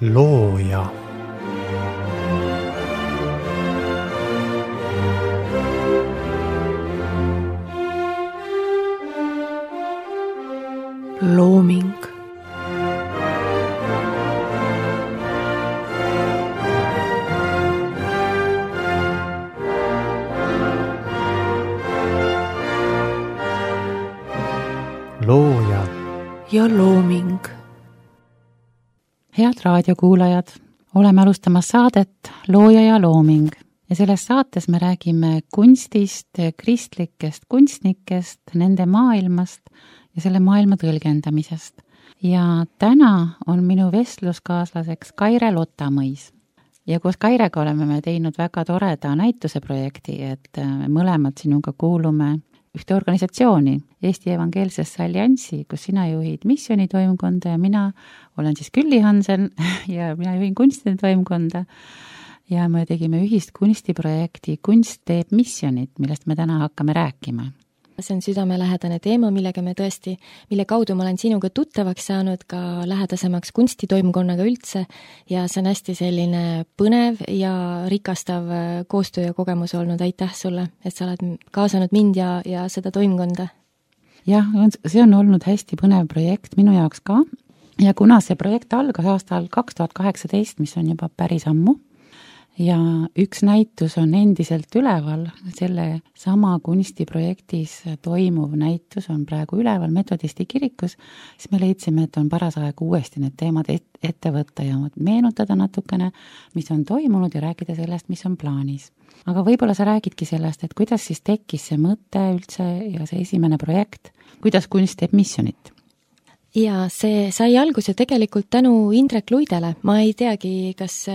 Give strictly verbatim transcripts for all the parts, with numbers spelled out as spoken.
looja. Looming. Looja ja looming. Head raadiokuulajad, oleme alustamas saadet Looja ja looming ja selles saates me räägime kunstist, kristlikest kunstnikest, nende maailmast ja selle maailma tõlgendamisest. Ja täna on minu vestluskaaslaseks Kaire Lotamõis. Ja koos Kairega oleme me teinud väga toreda näituse projekti, et me mõlemad sinuga kuulume ühte organisatsiooni, Eesti Evangeelsesse Alliansi, kus sina juhid missioonitoimkonda ja mina olen siis Külli Hansen ja mina juhin kunstide toimkonda. Ja me tegime ühist kunstiprojekti Kunst teeb missionit, millest me täna hakkame rääkima. See on südamelähedane teema, millega me tõesti, mille kaudu ma olen sinuga tuttavaks saanud ka lähedasemaks kunstitoimkonnaga üldse ja see on hästi selline põnev ja rikastav koostöö ja kogemus olnud. Aitäh sulle, et sa oled kaasanud mind ja, ja seda toimkonda. Jah, see on olnud hästi põnev projekt minu jaoks ka ja kuna see projekt algas aastal kaks tuhat kaheksateist, mis on juba päris ammu, ja üks näitus on endiselt üleval, selle sama kunstiprojektis toimuv näitus on praegu üleval Metodisti kirikus, siis me leidsime, et on paras aeg uuesti need teemad ette võtta ja meenutada natukene, mis on toimunud ja rääkida sellest, mis on plaanis. Aga võib-olla sa räägidki sellest, et kuidas siis tekkis see mõte üldse ja see esimene projekt, kuidas kunst teeb missionit? Ja see sai alguse tegelikult tänu Indrek Luidele. Ma ei teagi, kas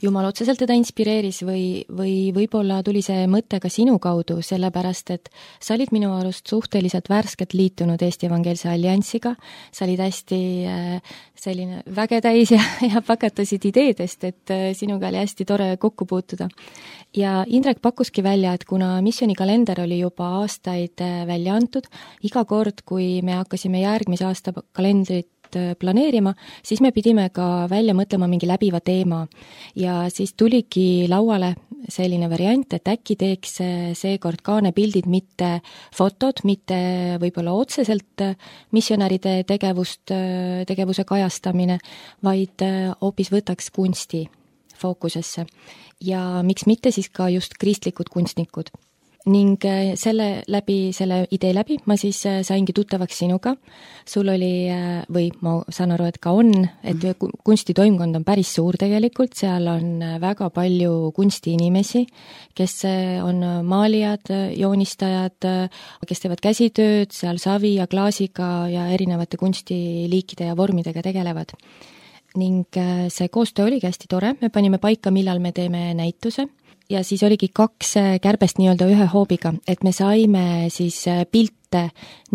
Jumal otseselt teda inspireeris või, või võib-olla tuli see mõte ka sinu kaudu, sellepärast, et sa olid minu arust suhteliselt värskelt liitunud Eesti Evangeelse Alliansiga. Sa olid hästi selline vägetäis ja, ja pakatasid ideedest, et sinuga oli hästi tore kokku puutuda. Ja Indrek pakkuski välja, et kuna missioonikalender oli juba aastaid välja antud, iga kord, kui me hakkasime järgmise aasta kalendrit planeerima, siis me pidime ka välja mõtlema mingi läbiva teema. Ja siis tuligi lauale selline variant, et äkki teeks seekord kaanepildid, mitte fotod, mitte võib-olla otseselt missionäride tegevust, tegevuse kajastamine, vaid hoopis võtaks kunsti fookusesse. Ja miks mitte siis ka just kristlikud kunstnikud. Ning selle läbi, selle idee läbi ma siis saingi tuttavaks sinuga. Sul oli, või ma saan aru, et ka on, et kunstitoimkond on päris suur tegelikult, seal on väga palju kunstiinimesi, kes on maalijad, joonistajad, kes teevad käsitööd, seal savi ja klaasiga ja erinevate kunstiliikide ja vormidega tegelevad. Ning see koostöö oligi hästi tore, me panime paika, millal me teeme näituse. Ja siis oligi kaks kärbest nii-öelda ühe hoobiga, et me saime siis pilte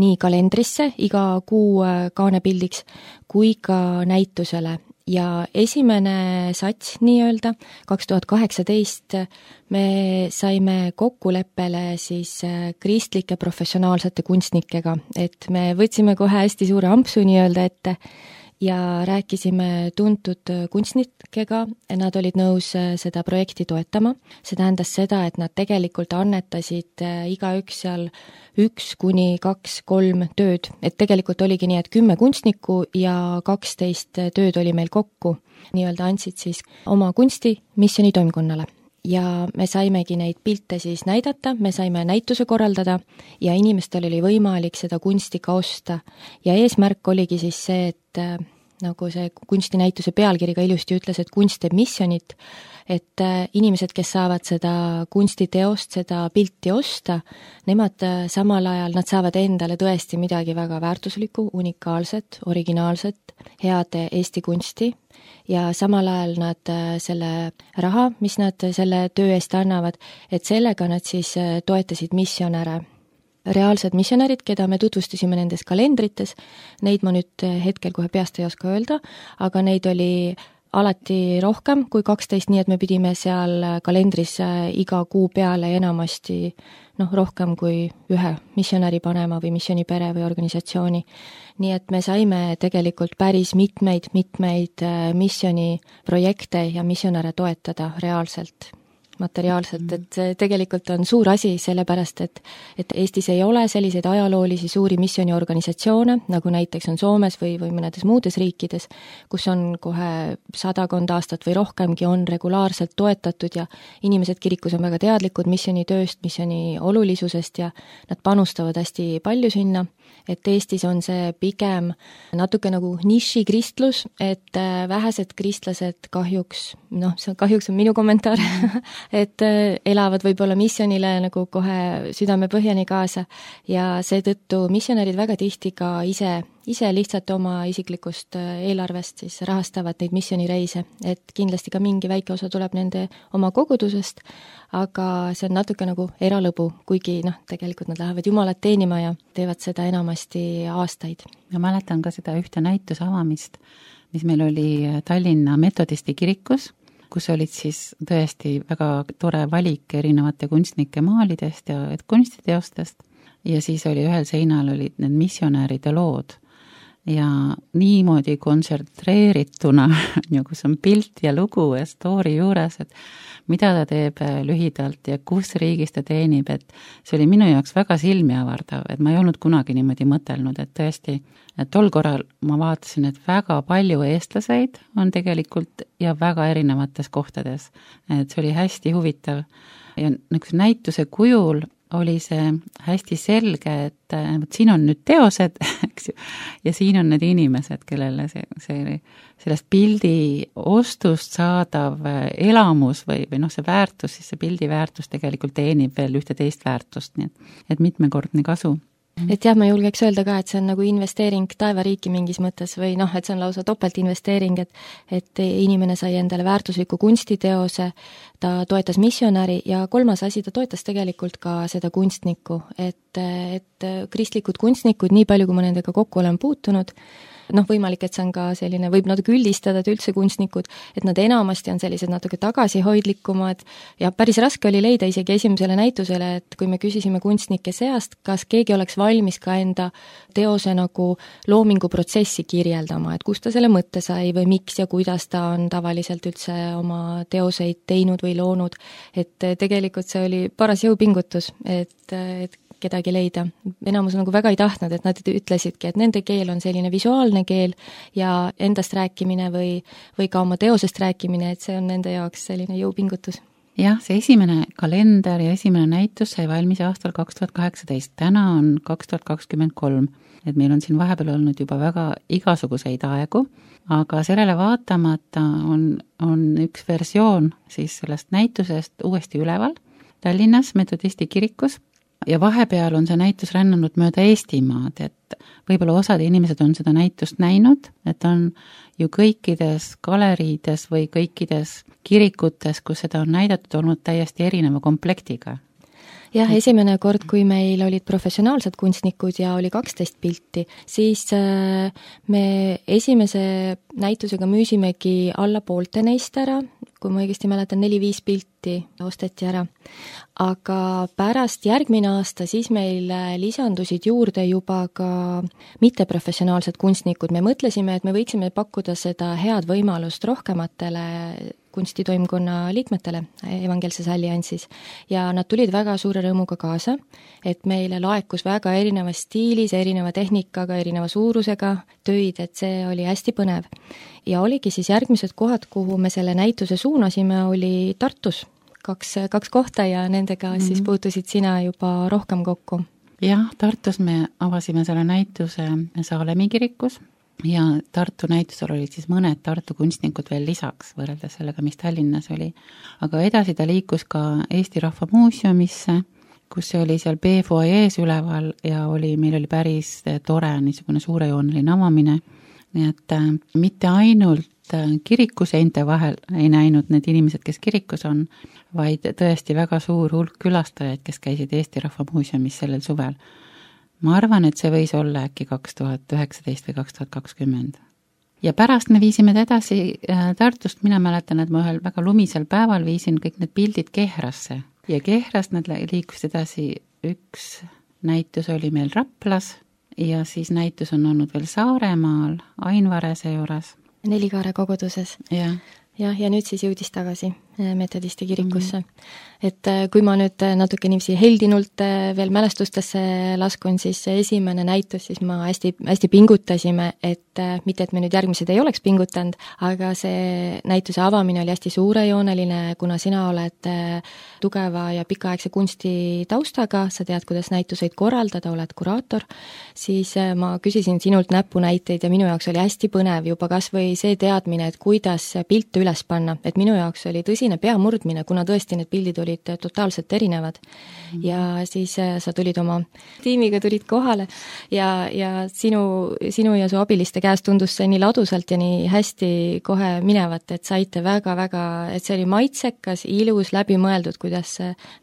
nii kalendrisse iga kuu kaanepildiks kui ka näitusele. Ja esimene sats nii-öelda, kaks tuhat kaheksateist, me saime kokkuleppele siis kristlike professionaalsete kunstnikega, et me võtsime kohe hästi suure ampsu nii-öelda ette ja rääkisime tuntud kunstnikega, nad olid nõus seda projekti toetama. See tähendas seda, et nad tegelikult annetasid igaüks seal üks kuni kaks, kolm tööd. Et tegelikult oligi nii, et kümme kunstnikku ja kaksteist tööd oli meil kokku. Nii-öelda andsid siis oma kunsti missioonitoimkonnale. Ja me saimegi neid pilte siis näidata, me saime näituse korraldada ja inimestel oli võimalik seda kunsti ka osta. Ja eesmärk oligi siis see, et nagu see kunstinäituse pealkiri ka ilusti ütles, et kunst teeb missionit, et inimesed, kes saavad seda kunstiteost, seda pilti osta, nemad samal ajal, nad saavad endale tõesti midagi väga väärtuslikku, unikaalset, originaalset, head Eesti kunsti ja samal ajal nad selle raha, mis nad selle töö eest annavad, et sellega nad siis toetasid missionäre. Reaalsed missionärid, keda me tutvustasime nendes kalendrites, neid ma nüüd hetkel kohe peast ei oska öelda, aga neid oli alati rohkem kui kaksteist, nii et me pidime seal kalendris iga kuu peale enamasti noh, rohkem kui ühe missionäri panema või missioonipere või organisatsiooni. Nii et me saime tegelikult päris mitmeid, mitmeid missiooniprojekte ja missionäre toetada reaalselt, materiaalselt, et see tegelikult on suur asi, sellepärast et, et Eestis ei ole selliseid ajaloolisi suuri missiooniorganisatsioone, nagu näiteks on Soomes või, või mõnedes muudes riikides, kus on kohe sadakond aastat või rohkemgi on regulaarselt toetatud ja inimesed kirikus on väga teadlikud missioonitööst, missiooni olulisusest ja nad panustavad hästi palju sinna, et Eestis on see pigem natuke nagu nišikristlus, et vähesed kristlased kahjuks, noh, see kahjuks on minu kommentaar, et elavad võib-olla missionile nagu kohe südamepõhjani kaasa ja seetõttu missionärid väga tihti ka ise, ise lihtsalt oma isiklikust eelarvest siis rahastavad neid missioonireise, et kindlasti ka mingi väike osa tuleb nende oma kogudusest, aga see on natuke nagu eralõbu, kuigi noh, tegelikult nad lähevad Jumalat teenima ja teevad seda enamasti aastaid. Ma mäletan ka seda ühte näituse avamist, mis meil oli Tallinna metodisti kirikus, kus olid siis tõesti väga tore valik erinevate kunstnike maalidest ja kunstiteostest ja siis oli ühel seinal olid need missionäride lood ja niimoodi kontsentreerituna, kus on pilt ja lugu ja story juures, et mida ta teeb lühidalt ja kus riigis ta teenib, et see oli minu jaoks väga silmi avardav, et ma ei olnud kunagi niimoodi mõtelnud, et tõesti, et tol korral ma vaatasin, et väga palju eestlaseid on tegelikult ja väga erinevates kohtades, et see oli hästi huvitav ja nagu näituse kujul oli see hästi selge, et võt, siin on nüüd teosed, eks ju, ja siin on need inimesed, kellele see, see, sellest pildi ostust saadav elamus või, või noh, see väärtus, siis see pildi väärtus tegelikult teenib veel ühte teist väärtust, nii et, et mitmekordne kasu. Et jah, ma julgeks öelda ka, et see on nagu investeering taevariiki mingis mõttes või noh, et see on lausa topeltinvesteering, et, et inimene sai endale väärtusliku kunstiteose, ta toetas missionäri ja kolmas asi, ta toetas tegelikult ka seda kunstnikku, et, et kristlikud kunstnikud, nii palju, kui ma nendega kokku olen puutunud, noh, võimalik, et see on ka selline, võib natuke üldistada, et üldse kunstnikud, et nad enamasti on sellised natuke tagasihoidlikumad ja päris raske oli leida isegi esimesele näitusele, et kui me küsisime kunstnike seast, kas keegi oleks valmis ka enda teose nagu loominguprotsessi kirjeldama, et kust ta selle mõtte sai või miks ja kuidas ta on tavaliselt üldse oma teoseid teinud või loonud, et tegelikult see oli paras jõupingutus, et, et kedagi leida. Enamus nagu väga ei tahtnud, et nad ütlesidki, et nende keel on selline visuaalne keel ja endast rääkimine või, või ka oma teosest rääkimine, et see on nende jaoks selline jõupingutus. Jah, see esimene kalender ja esimene näitus sai valmis aastal kaks tuhat kaheksateist, täna on kaks tuhat kakskümmend kolm, et meil on siin vahepeal olnud juba väga igasuguseid aegu, aga sellele vaatamata on, on üks versioon siis sellest näitusest uuesti üleval Tallinnas metodisti kirikus, ja vahepeal on see näitus rännanud mööda Eestimaad, et võib-olla osad inimesed on seda näitust näinud, et on ju kõikides galeriides või kõikides kirikutes, kus seda on näidatud, olnud täiesti erineva komplektiga. Jah, esimene kord, kui meil olid professionaalsed kunstnikud ja oli kaksteist pilti, siis me esimese näitusega müüsimegi alla poolte neist ära, kui ma õigesti mäletan, neli-viis pilti osteti ära. Aga pärast järgmine aasta siis meil lisandusid juurde juba ka mitteprofessionaalsed kunstnikud. Me mõtlesime, et me võiksime pakkuda seda head võimalust rohkematele kunstitoimkonna liikmetele Evangeelses Alliansis ja nad tulid väga suure rõõmuga kaasa, et meile laekus väga erinevas stiilis, erineva tehnikaga, erineva suurusega töid, et see oli hästi põnev. Ja oligi siis järgmised kohad, kuhu me selle näituse suunasime, oli Tartus, kaks, kaks kohta ja nendega mm-hmm. siis puutusid sina juba rohkem kokku. Jah, Tartus me avasime selle näituse Saalemi kirikus ja Tartu näitusel olid siis mõned Tartu kunstnikud veel lisaks võrreldes sellega, mis Tallinnas oli. Aga edasi ta liikus ka Eesti Rahva Muuseumisse, kus see oli seal B-foajees üleval ja oli, meil oli päris tore niisugune suurejooneline avamine. Nii et äh, mitte ainult äh, kirikuseinte vahel ei näinud need inimesed, kes kirikus on, vaid tõesti väga suur hulk külastajaid, kes käisid Eesti Rahva Muuseumis sellel suvel. Ma arvan, et see võis olla äkki kaks tuhat üheksateist või kaks tuhat kakskümmend. ja pärast me viisime ta edasi Tartust, mina mäletan, et ma ühel väga lumisel päeval viisin kõik need pildid Kehrasse ja Kehrast nad liikusid edasi, üks näitus oli meil Raplas ja siis näitus on olnud veel Saaremaal, Ainvarese juures. Nelikaare koguduses. Jah. jah, ja nüüd siis jõudis tagasi metodisti kirikusse. Mm-hmm. Et kui ma nüüd natuke niiviisi heldinult veel mälestustesse laskun, siis esimene näitus, siis ma hästi, hästi pingutasime, et mitte, et me nüüd järgmised ei oleks pingutanud, aga see näituse avamine oli hästi suurejooneline, kuna sina oled tugeva ja pikaaegse kunsti taustaga, sa tead, kuidas näituseid korraldada, oled kuraator, siis ma küsisin sinult näpunäiteid ja minu jaoks oli hästi põnev juba kas või see teadmine, et kuidas pilte üles panna, et minu jaoks oli tõsine peamurdmine, kuna tõesti need pildid olid totaalselt erinevad. Mm-hmm. Ja siis sa tulid oma tiimiga, tulid kohale ja, ja sinu, sinu ja su abiliste käest tundus see nii ladusalt ja nii hästi kohe minevat, et saite väga-väga, et see oli maitsekas, ilus, läbimõeldud, kuidas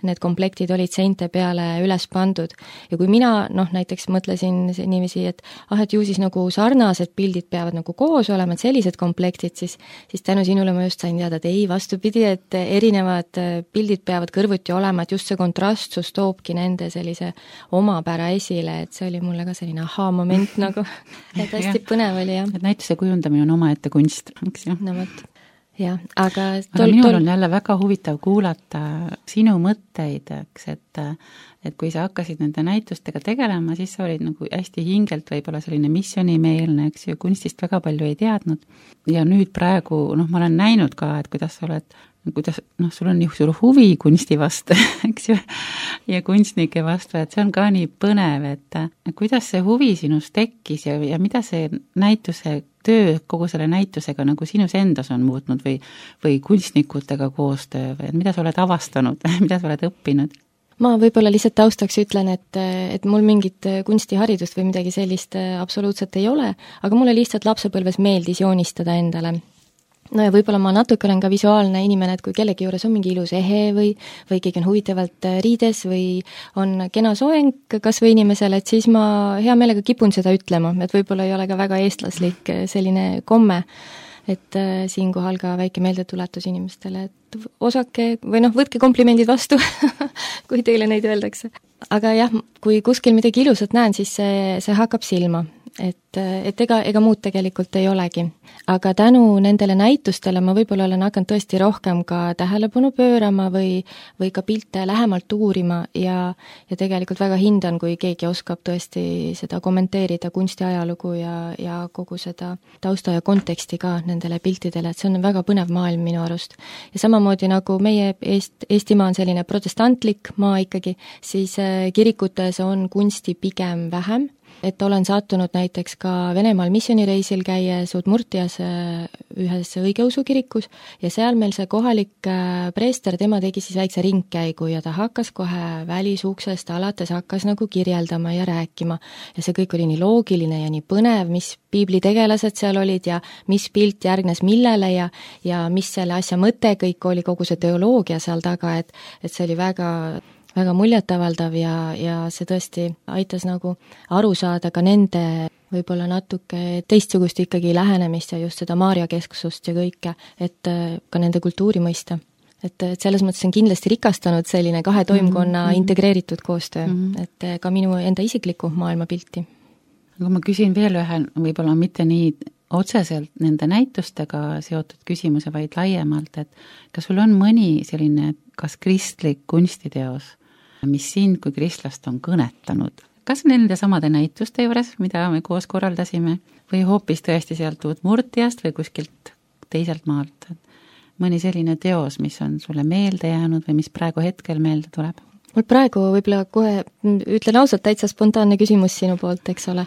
need komplektid olid seinte peale üles pandud. Ja kui mina, noh, näiteks mõtlesin niiviisi, et ah, et ju siis nagu sarnased pildid peavad nagu koos olema, et sellised komplektid, siis, siis tänu sinule ma just sain teada, et ei, vastupidi, et erinevad pildid peavad kõrvuti olema, et just see kontrastsus toobki nende sellise omapära esile, et see oli mulle ka selline ahaa-moment nagu, et hästi põnev oli, jah. Et näituse kujundamine on omaette kunst, eks ju. No võt, jah, aga tol, aga minul tol... on jälle väga huvitav kuulata sinu mõtteid, eks, et et kui sa hakkasid nende näitustega tegelema, siis sa olid nagu hästi hingelt võib-olla selline missioonimeelne, eks ju, kunstist väga palju ei teadnud. Ja nüüd praegu, noh, ma olen näinud ka, et kuidas sa oled, kuidas, noh, sul on nii suur huvi kunsti vastu, eks ju, ja kunstnike vastu, et see on ka nii põnev, et kuidas see huvi sinus tekkis ja, ja mida see näituse töö kogu selle näitusega nagu sinus endas on muutnud või, või kunstnikutega koostöö või mida sa oled avastanud, mida sa oled õppinud? Ma võib-olla lihtsalt taustaks ütlen, et, et mul mingit kunstiharidust või midagi sellist absoluutselt ei ole, aga mulle lihtsalt lapsepõlves meeldis joonistada endale. No ja võib-olla ma natuke olen ka visuaalne inimene, et kui kellegi juures on mingi ilus ehe või, või keegi on huvitavalt riides või on kena soeng kas või inimesele, et siis ma hea meelega kipun seda ütlema, et võib-olla ei ole ka väga eestlaslik selline komme. Et äh, siinkohal ka väike meeldetuletus inimestele, et osake või noh, võtke komplimendid vastu, kui teile neid öeldakse. Aga jah, kui kuskil midagi ilusat näen, siis see, see hakkab silma. Et, et ega, ega muud tegelikult ei olegi. Aga tänu nendele näitustele ma võib-olla olen hakanud tõesti rohkem ka tähelepanu pöörama või, või ka pilte lähemalt uurima ja, ja tegelikult väga hindan, kui keegi oskab tõesti seda kommenteerida kunstiajalugu ja, ja kogu seda tausta ja konteksti ka nendele piltidele, et see on väga põnev maailm minu arust. Ja samamoodi nagu meie Eest, Eestimaa on selline protestantlik maa ikkagi, siis kirikutes on kunsti pigem vähem, et olen sattunud näiteks ka Venemaal missioonireisil käies Udmurtias ühes õigeusu kirikus ja seal meil see kohalik preester, tema tegi siis väikse ringkäigu ja ta hakkas kohe välisuksest alates hakkas nagu kirjeldama ja rääkima ja see kõik oli nii loogiline ja nii põnev, mis piiblitegelased seal olid ja mis pilt järgnes millele ja, ja mis selle asja mõte kõik oli, kogu see teoloogia seal taga, et, et see oli väga väga muljetavaldav ja, ja see tõesti aitas nagu aru saada ka nende võib-olla natuke teistsugust ikkagi lähenemist ja just seda Maarja kesksust ja kõike, et ka nende kultuuri mõista. Et, et selles mõttes on kindlasti rikastanud selline kahe toimkonna mm-hmm. integreeritud koostöö, mm-hmm. et ka minu enda isikliku maailmapilti. Aga ma küsin veel ühe, võib-olla mitte nii otseselt nende näitustega seotud küsimuse, vaid laiemalt, et kas sul on mõni selline kas kristlik kunstiteos, mis sind kui kristlast on kõnetanud? Kas nende samade näituste juures, mida me koos korraldasime, või hoopis tõesti sealt Udmurtiast või kuskilt teiselt maalt? Mõni selline teos, mis on sulle meelde jäänud või mis praegu hetkel meelde tuleb? Mul praegu võib-olla kohe, ütlen ausalt, täitsa spontaanne küsimus sinu poolt, eks ole,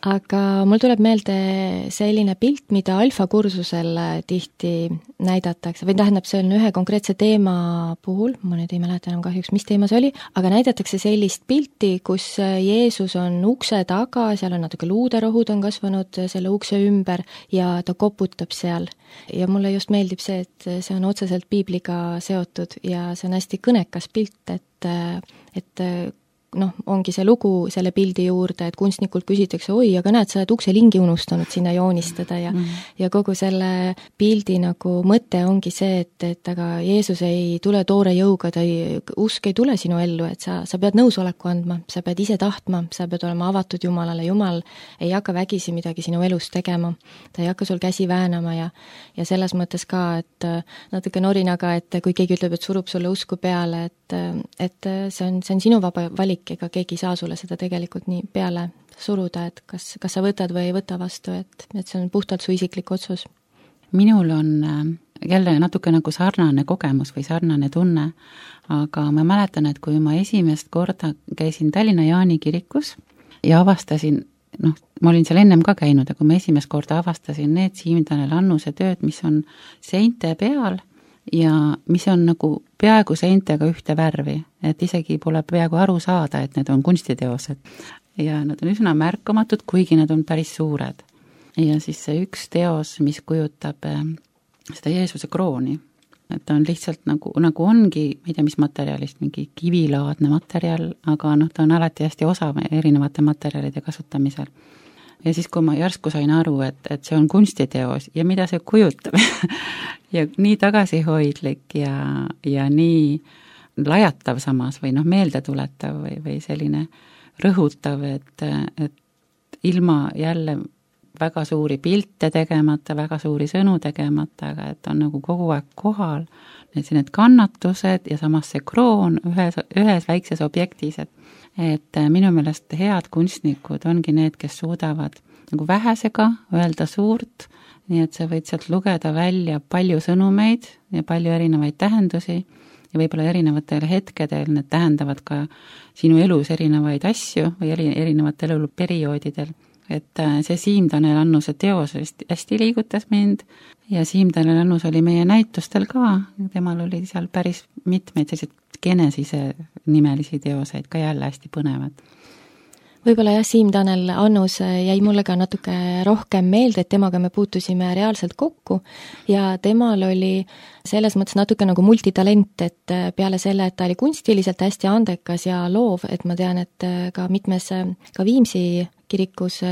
aga mul tuleb meelde selline pilt, mida alfakursusel tihti näidatakse, või tähendab, see on ühe konkreetse teema puhul, ma nüüd ei mäleta enam kahjuks, mis teema see oli, aga näidatakse sellist pilti, kus Jeesus on ukse taga, seal on natuke luuderohud on kasvanud selle ukse ümber ja ta koputab seal. Ja mulle just meeldib see, et see on otseselt piibliga seotud ja see on hästi kõnekas pilt, et, et noh, ongi see lugu selle pildi juurde, et kunstnikult küsitakse, oi, aga näed, sa oled ukselingi unustanud sinna joonistada ja mm. ja kogu selle pildi nagu mõte ongi see, et, et aga Jeesus ei tule toore jõuga, ta ei, usk ei tule sinu ellu, et sa, sa pead nõusoleku andma, sa pead ise tahtma, sa pead olema avatud Jumalale, Jumal ei hakka vägisi midagi sinu elus tegema, ta ei hakka sul käsi väänama ja ja selles mõttes ka, et natuke norinaga, et kui keegi ütleb, et surub sulle usku peale, et, et see on, see on sinu vaba valik, ega keegi ei saa sulle seda tegelikult nii peale suruda, et kas, kas sa võtad või ei võta vastu, et, et see on puhtalt su isiklik otsus. Minul on jälle natuke nagu sarnane kogemus või sarnane tunne, aga ma mäletan, et kui ma esimest korda käisin Tallinna Jaani kirikus ja avastasin, noh, ma olin seal ennem ka käinud, aga kui ma esimest korda avastasin need Siim Tanel Annuse tööd, mis on seinte peal ja mis on nagu peaaegu seintega ühte värvi, et isegi pole peaaegu aru saada, et need on kunstiteosed. Ja nad on üsna märkamatud, kuigi nad on päris suured. Ja siis see üks teos, mis kujutab seda Jeesuse krooni, et ta on lihtsalt nagu, nagu ongi, ma ei tea, mis materjalist, mingi kivilaadne materjal, aga noh, ta on alati hästi osav erinevate materjalide kasutamisel. Ja siis, kui ma järsku sain aru, et, et see on kunstiteos ja mida see kujutab ja nii tagasihoidlik ja, ja nii lajatav samas või noh, meeldetuletav või, või selline rõhutav, et, et ilma jälle väga suuri pilte tegemata, väga suuri sõnu tegemata, aga et on nagu kogu aeg kohal, need, need kannatused ja samas see kroon ühes, ühes väikses objektis, et et minu meelest head kunstnikud ongi need, kes suudavad nagu vähesega öelda suurt, nii et sa võid sealt lugeda välja palju sõnumeid ja palju erinevaid tähendusi ja võib-olla erinevatel hetkedel need tähendavad ka sinu elus erinevaid asju või eri, erinevatel eluperioodidel. Et see Siim Tanel Annuse teos hästi liigutas mind ja Siim Tanel Annus oli meie näitustel ka, temal oli seal päris mitmeid selliseid Genesise nimelisi teoseid ka jälle hästi põnevad. Võib-olla jah, Siim Tanel Annus jäi mulle ka natuke rohkem meelde, et temaga me puutusime reaalselt kokku ja temal oli selles mõttes natuke nagu multitalent, et peale selle, et ta oli kunstiliselt hästi andekas ja loov, et ma tean, et ka mitmes, ka Viimsi kirikus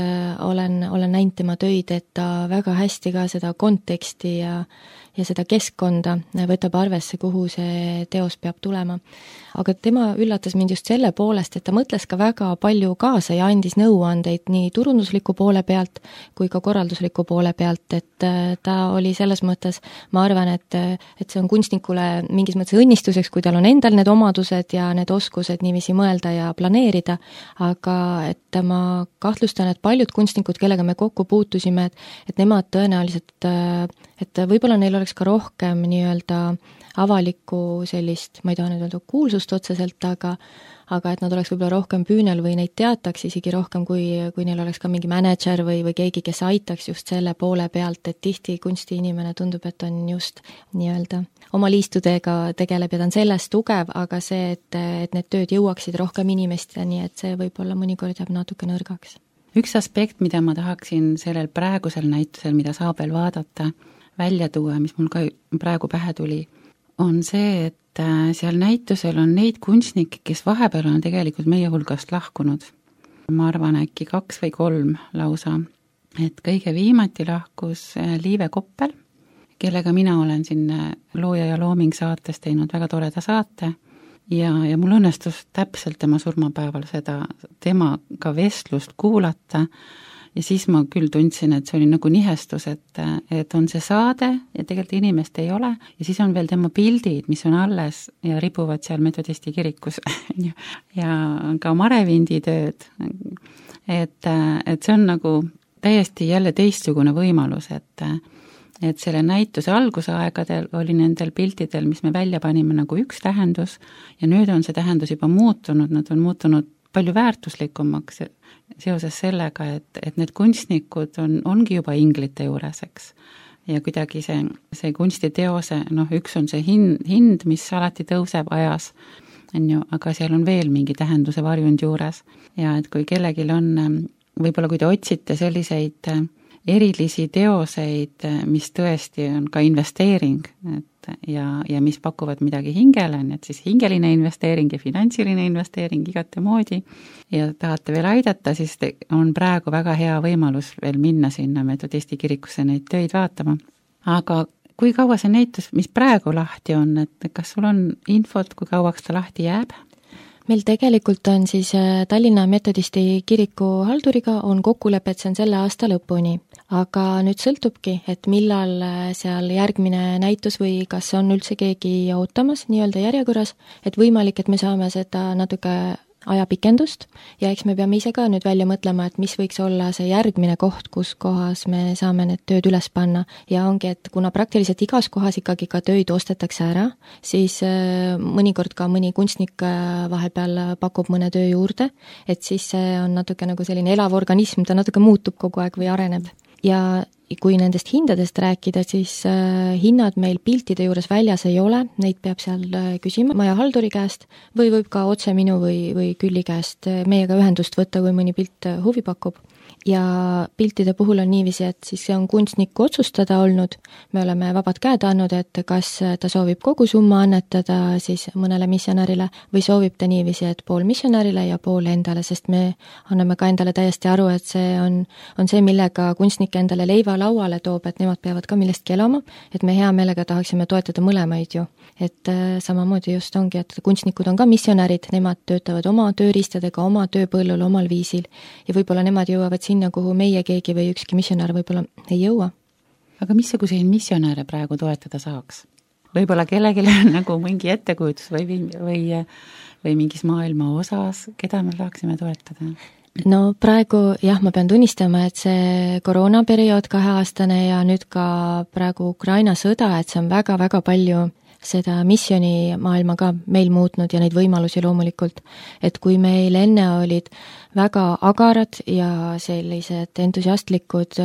olen, olen näinud tema töid, et ta väga hästi ka seda konteksti ja, ja seda keskkonda võtab arvesse, kuhu see teos peab tulema. Aga tema üllatas mind just selle poolest, et ta mõtles ka väga palju kaasa ja andis nõuandeid nii turundusliku poole pealt kui ka korraldusliku poole pealt, et ta oli selles mõttes, ma arvan, et, et see on kunstnikule mingis mõttes õnnistuseks, kui tal on endal need omadused ja need oskused niiviisi mõelda ja planeerida, aga et ma kahtlustan, et paljud kunstnikud, kellega me kokku puutusime, et, et nemad tõenäoliselt, et võib-olla neil oleks ka rohkem nii-öelda avalikku sellist, ma ei taha nüüd öelda kuulsust otseselt, aga aga et nad oleks võib-olla rohkem püünel või neid teataks isegi rohkem, kui, kui neil oleks ka mingi manager või, või keegi, kes aitaks just selle poole pealt, et tihti kunstiinimene tundub, et on just nii-öelda oma liistudega tegeleb ja ta on selles tugev, aga see, et, et need tööd jõuaksid rohkem inimesteni, et see võib-olla mõnikord jääb natuke nõrgaks. Üks aspekt, mida ma tahaksin sellel praegusel näitusel, mida saab veel vaadata, välja tuua, mis mul ka praegu pähe tuli, on see, et seal näitusel on neid kunstnikke, kes vahepeal on tegelikult meie hulgast lahkunud. Ma arvan äkki kaks või kolm lausa. Et kõige viimati lahkus Liive Koppel, kellega mina olen siin Looja ja Looming saates teinud väga toreda saate ja, ja mul õnnestus täpselt tema surmapäeval seda temaga vestlust kuulata. Ja siis ma küll tundsin, et see oli nagu nihestus, et, et on see saade ja tegelikult inimest ei ole ja siis on veel tema pildid, mis on alles ja ribuvad seal Metodisti kirikus ja ka Marevindi tööd. Et, et see on nagu täiesti jälle teistsugune võimalus, et, et selle näituse algusaegadel oli nendel piltidel, mis me välja panime nagu üks tähendus ja nüüd on see tähendus juba muutunud, nad on muutunud palju väärtuslikumaks seoses sellega, et, et need kunstnikud on, ongi juba inglite juures, eks. Ja kuidagi see, see kunstiteose, noh, üks on see hind, hind, mis alati tõuseb ajas, on ju, aga seal on veel mingi tähenduse varjund juures. Ja et kui kellegil on, võib-olla kui te otsite selliseid erilisi teoseid, mis tõesti on ka investeering, et ja, ja mis pakuvad midagi hingele, nii et siis hingeline investeering ja finantsiline investeering igate moodi ja tahate veel aidata, siis on praegu väga hea võimalus veel minna sinna Metodisti kirikusse neid töid vaatama. Aga kui kaua see näitus, mis praegu lahti on, et kas sul on infot, kui kauaks ta lahti jääb? Meil tegelikult on siis Tallinna Metodisti kiriku halduriga on kokkulepe, et see on selle aasta lõpuni. Aga nüüd sõltubki, et millal seal järgmine näitus või kas on üldse keegi ootamas nii-öelda järjekorras, et võimalik, et me saame seda natuke ajapikendust ja eks me peame ise ka nüüd välja mõtlema, et mis võiks olla see järgmine koht, kus kohas me saame need tööd üles panna ja ongi, et kuna praktiliselt igas kohas ikkagi ka tööd ostetakse ära, siis mõnikord ka mõni kunstnik vahepeal pakub mõne töö juurde, et siis see on natuke nagu selline elav organism, ta natuke muutub kogu aeg või areneb. Ja kui nendest hindadest rääkida, siis hinnad meil piltide juures väljas ei ole, neid peab seal küsima maja halduri käest või võib ka otse minu või, või Külli käest meiega ühendust võtta, kui mõni pilt huvi pakub. Ja piltide puhul on niiviisi, et siis see on kunstniku otsustada olnud, me oleme vabad käed andnud, et kas ta soovib kogu summa annetada siis mõnele missionärile või soovib ta niiviisi, et pool missionärile ja pool endale, sest me anname ka endale täiesti aru, et see on, on see, millega kunstnik endale leiva lauale toob, et nemad peavad ka millestki elama, et me hea meelega tahaksime toetada mõlemaid ju. Et samamoodi just ongi, et kunstnikud on ka missionärid, nemad töötavad oma tööriistadega, oma tööpõllul, omal viisil ja võib-olla nemad jõuavad sinna, kuhu meie keegi või ükski missionär võib-olla ei jõua. Aga missuguseid missionäre praegu toetada saaks? Võib-olla kellelgi on nagu mingi ettekujutus või, või, või mingis maailma osas, keda me saaksime toetada? No praegu jah, ma pean tunnistama, et see koroonaperiood kaheaastane ja nüüd ka praegu Ukraina sõda, et see on väga-väga palju seda missiooni maailma ka meil muutnud ja neid võimalusi loomulikult, et kui meil enne olid väga agarad ja sellised entusiastlikud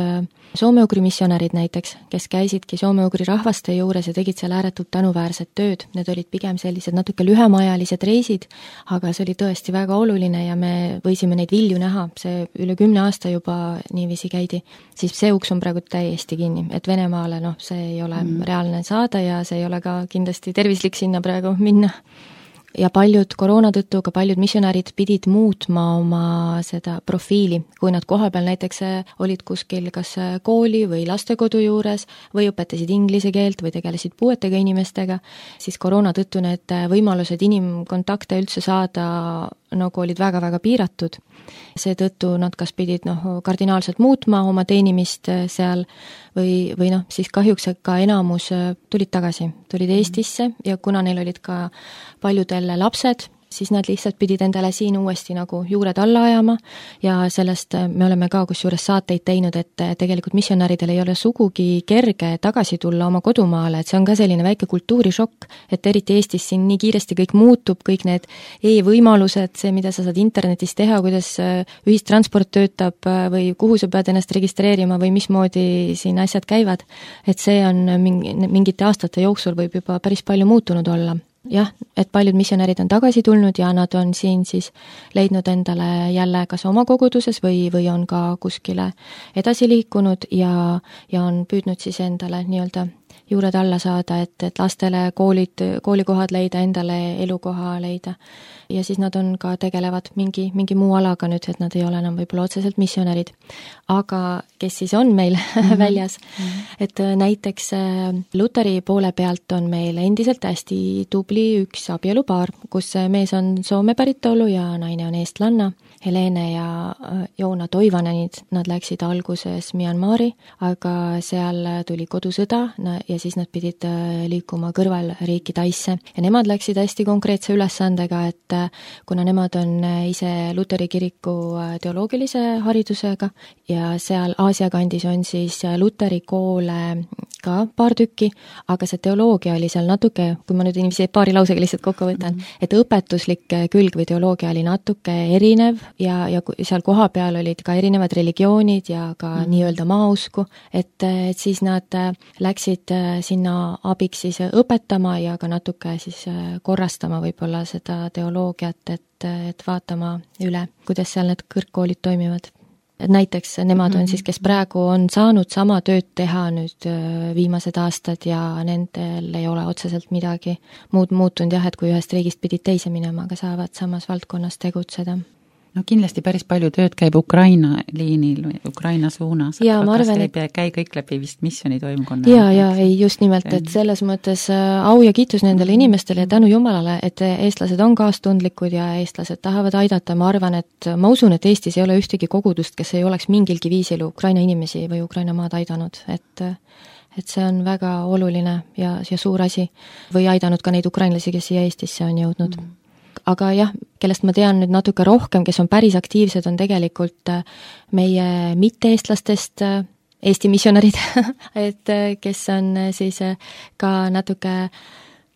soome-ugri missionärid näiteks, kes käisidki soome-ugri rahvaste juures ja tegid seal ääretult tänuväärset tööd, need olid pigem sellised natuke lühemaajalised reisid, aga see oli tõesti väga oluline ja me võisime neid vilju näha, see üle kümne aasta juba niiviisi käidi, siis see uks on praegu täiesti kinni, et Venemaale noh, see ei ole mm. reaalne saada ja see ei ole ka kindlasti tervislik sinna praegu minna. Ja paljud koroona tõttu, ka paljud missionärid pidid muutma oma seda profiili, kui nad kohapeal näiteks olid kuskil kas kooli või lastekodu juures või õpetasid inglise keelt või tegelesid puuetega inimestega, siis koroona tõttu need võimalused inimkontakte üldse saada nagu olid väga-väga piiratud. Seetõttu nad kas pidid noh, kardinaalselt muutma oma teenimist seal või, või noh, siis kahjuks ka enamus tulid tagasi, tulid Eestisse ja kuna neil olid ka paljudel lapsed, siis nad lihtsalt pidid endale siin uuesti nagu juured alla ajama ja sellest me oleme ka kusjuures saateid teinud, et tegelikult missionäridel ei ole sugugi kerge tagasi tulla oma kodumaale, et see on ka selline väike kultuurishokk, et eriti Eestis siin nii kiiresti kõik muutub, kõik need e-võimalused, see, mida sa saad internetis teha, kuidas ühistransport töötab või kuhu sa pead ennast registreerima või mismoodi siin asjad käivad, et see on mingi, mingite aastate jooksul võib juba päris palju muutunud olla. Jah, et paljud missionärid on tagasi tulnud ja nad on siin siis leidnud endale jälle kas oma koguduses või, või on ka kuskile edasi liikunud ja, ja on püüdnud siis endale nii-öelda juured alla saada, et, et lastele koolid, koolikohad leida, endale elukoha leida. Ja siis nad on ka tegelevad mingi, mingi muu alaga nüüd, et nad ei ole enam võib-olla otseselt missionärid. Aga kes siis on meil mm-hmm. väljas? Mm-hmm. Et näiteks Luteri poole pealt on meil endiselt hästi tubli üks abielupaar, kus mees on Soome päritolu ja naine on eestlanna. Helene ja Joona Toivanenid, nad läksid alguses Myanmari, aga seal tuli kodusõda ja siis nad pidid liikuma kõrvalriiki Taisse. Ja nemad läksid hästi konkreetse ülesandega, et kuna nemad on ise Luteri kiriku teoloogilise haridusega ja seal Aasia kandis on siis Luteri koole ka paar tükki, aga see teoloogia oli seal natuke, kui ma nüüd inimesi paari lausega lihtsalt kokku võtan, mm-hmm. et õpetuslik külg või teoloogia oli natuke erinev ja, ja seal koha peal olid ka erinevad religioonid ja ka mm-hmm. nii-öelda maausku, et, et siis nad läksid sinna abiks siis õpetama ja ka natuke siis korrastama võib-olla seda teoloogiat, et, et vaatama üle, kuidas seal need kõrgkoolid toimivad. näiteks nemad on siis, kes praegu on saanud sama tööd teha nüüd viimased aastad ja nendel ei ole otseselt midagi muud muutunud jah, et kui ühest riigist pidid teise minema, aga saavad samas valdkonnas tegutseda. No kindlasti päris palju tööd käib Ukraina liinil või Ukraina suunas, ja, aga kas arvan, ei et... käi kõik läbi vist missiooni toimkonna? Ja, ja ei just nimelt, et selles mõttes au ja kiitus nendele inimestele ja tänu Jumalale, et eestlased on kaastundlikud ja eestlased tahavad aidata. Ma arvan, et ma usun, et Eestis ei ole ühtegi kogudust, kes ei oleks mingilgi viisil Ukraina inimesi või Ukraina maad aidanud, et et see on väga oluline ja, ja suur asi või aidanud ka neid ukrainlasi, kes siia Eestisse on jõudnud. Mm. Aga jah, kellest ma tean nüüd natuke rohkem, kes on päris aktiivsed, on tegelikult meie mitte-eestlastest Eesti missionärid, et kes on siis ka natuke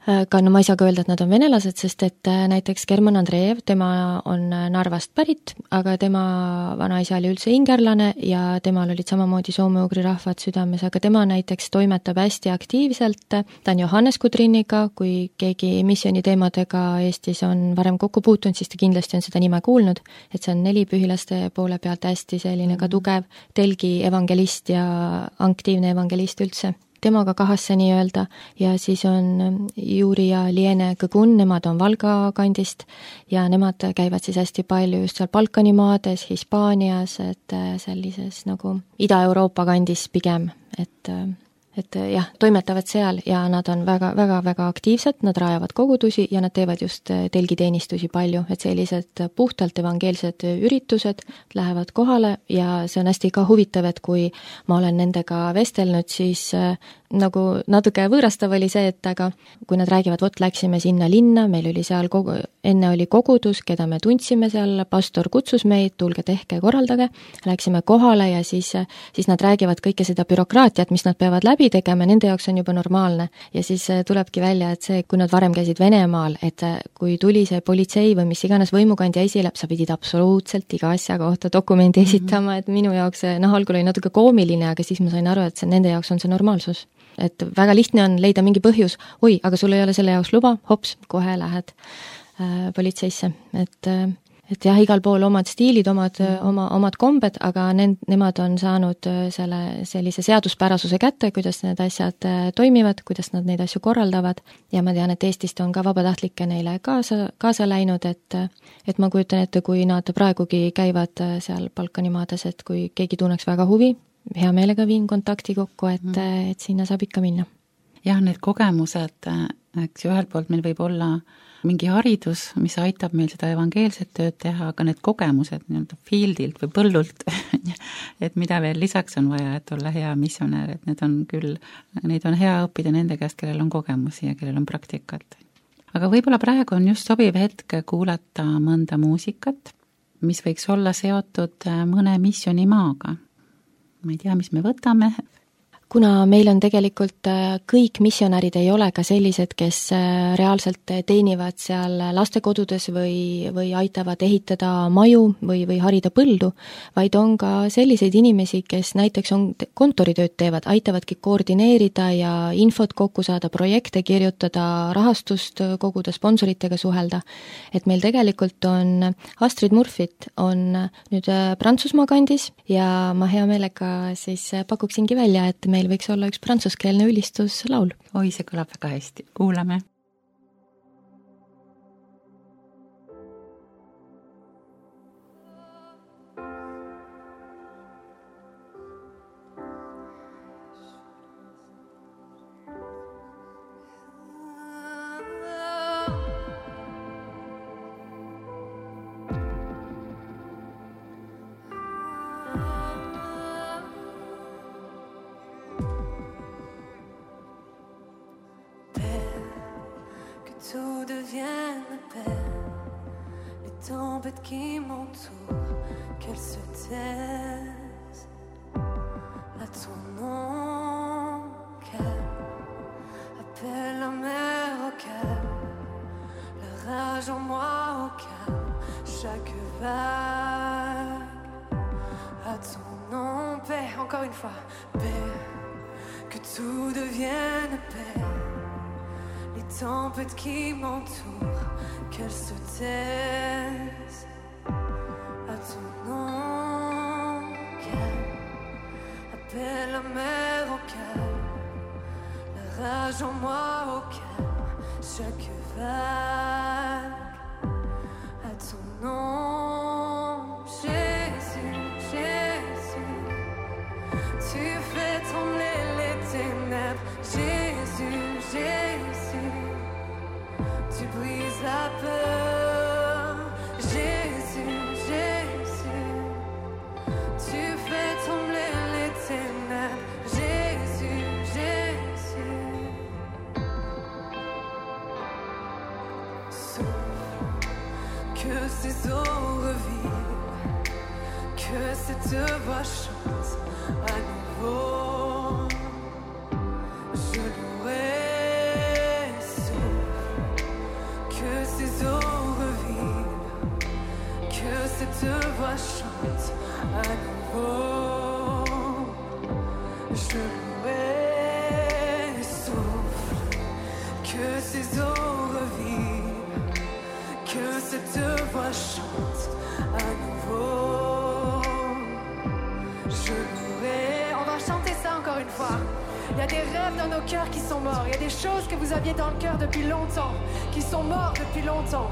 ka no ma ei saa ka öelda, et nad on venelased, sest et näiteks German Andreev, tema on Narvast pärit, aga tema vanaisa oli üldse ingerlane ja temal olid samamoodi soome-ugri rahvad südames, aga tema näiteks toimetab hästi aktiivselt, ta on Johannes Kudriniga, kui keegi missiooni teemadega Eestis on varem kokku puutunud, siis ta kindlasti on seda nime kuulnud, et see on nelipühilaste poole pealt hästi selline ka tugev telgi evangelist ja aktiivne evangelist üldse. Temaga kahasse nii öelda ja siis on Juri ja Liene Kõgun, nemad on Valga kandist ja nemad käivad siis hästi palju just seal Balkani maades, Hispaanias, et sellises nagu Ida-Euroopa kandis pigem, et et jah, toimetavad seal ja nad on väga, väga, väga aktiivsed, nad rajavad kogudusi ja nad teevad just telgiteenistusi palju, et sellised puhtalt evangeelsed üritused lähevad kohale ja see on hästi ka huvitav, et kui ma olen nendega vestelnud, siis nagu natuke võõrastav oli see, et aga kui nad räägivad, vot läksime sinna linna, meil oli seal kogu, enne oli kogudus, keda me tundsime seal, pastor kutsus meid, tulge tehke, korraldage, läksime kohale ja siis, siis nad räägivad kõike seda bürokraatiat, mis nad peavad läbi tegema, nende jaoks on juba normaalne. Ja siis tulebki välja, et see, kui nad varem käisid Venemaal, et kui tuli see politsei või mis iganes võimukandja esile, sa pidid absoluutselt iga asja kohta dokumendi esitama, et minu jaoks see, noh, algul oli natuke koomiline, aga siis ma sain aru, et see, nende jaoks on see normaalsus. Et väga lihtne on leida mingi põhjus, oi, aga sul ei ole selle jaoks luba, hops, kohe lähed äh, politseisse. Et, äh, et jah, igal pool omad stiilid, omad, oma, omad kombed, aga nend, nemad on saanud selle, sellise seaduspärasuse kätte, kuidas need asjad äh, toimivad, kuidas nad neid asju korraldavad ja ma tean, et Eestist on ka vabatahtlikke neile kaasa, kaasa läinud, et, et ma kujutan ette, kui nad praegugi käivad seal Balkani maades, et kui keegi tunneks väga huvi, hea meelega viin kontakti kokku, et, mm. et sinna saab ikka minna. Jah, need kogemused, eks ju, ühelt poolt meil võib olla mingi haridus, mis aitab meil seda evangeelset tööd teha, aga need kogemused nii-öelda fieldilt või põllult, et mida veel lisaks on vaja, et olla hea missionär, et need on küll, neid on hea õppida nende käest, kellel on kogemusi ja kellel on praktikat. Aga võib-olla praegu on just sobiv hetk kuulata mõnda muusikat, mis võiks olla seotud mõne missionimaaga. Ma ei tea, mis me võtame. Kuna meil on tegelikult kõik missionärid ei ole ka sellised, kes reaalselt teenivad seal lastekodudes või, või aitavad ehitada maju või, või harida põldu, vaid on ka selliseid inimesi, kes näiteks on kontoritööd teevad, aitavadki koordineerida ja infot kokku saada, projekte kirjutada, rahastust koguda, sponsoritega suhelda. Et meil tegelikult on Astrid Murfit on nüüd Prantsusmaa kandis ja ma hea meelega siis pakuksingi välja, et meil võiks olla üks prantsuskeelne ülistuslaul. Oi, see kõlab väga hästi. Kuulame. Tout devienne paix, les tempêtes qui m'entourent, qu'elles se taisent. À ton nom calme, appelle la mer au calme, la rage en moi au calme, chaque vague. À ton nom paix, encore une fois, paix, que tout devienne paix. Les tempêtes qui m'entourent, qu'elles se taisent. À ton nom la mer au calme, la rage en moi au calme, chaque vague a ton nom. Jésus, Jésus, tu fais trembler les ténèbres. Jésus, Jésus, tu brises la peur. Jésus, Jésus, tu fais trembler les ténèbres. Jésus, Jésus, souffle, que ces eaux revivent, que cette voix chante à nouveau. Je louerai, souffle, que ces eaux revivent, que cette voix chante à nouveau. Je louerai, souffle, que ces eaux revivent, que cette voix chante à nouveau. Je louerai. On va chanter ça encore une fois. Il y a des rêves dans nos cœurs qui sont morts. Il y a des choses que vous aviez dans le cœur depuis longtemps, qui sont morts depuis longtemps.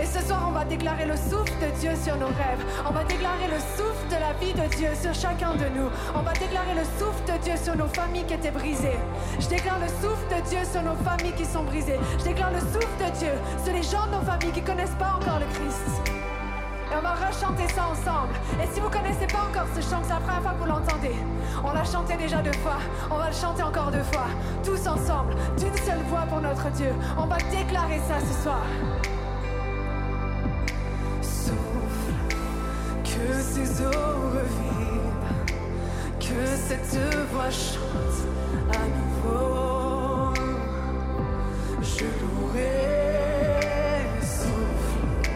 Et ce soir, on va déclarer le souffle de Dieu sur nos rêves. On va déclarer le souffle de la vie de Dieu sur chacun de nous. On va déclarer le souffle de Dieu sur nos familles qui étaient brisées. Je déclare le souffle de Dieu sur nos familles qui sont brisées. Je déclare le souffle de Dieu sur les gens de nos familles qui ne connaissent pas encore le Christ. Et on va rechanter ça ensemble. Et si vous ne connaissez pas encore ce chant, c'est la première fois que vous l'entendez. On l'a chanté déjà deux fois, on va le chanter encore deux fois. Tous ensemble, d'une seule voix pour notre Dieu. On va déclarer ça ce soir. Souffle, que ces eaux revivent, que cette voix chante à nouveau. Je louerai, souffle,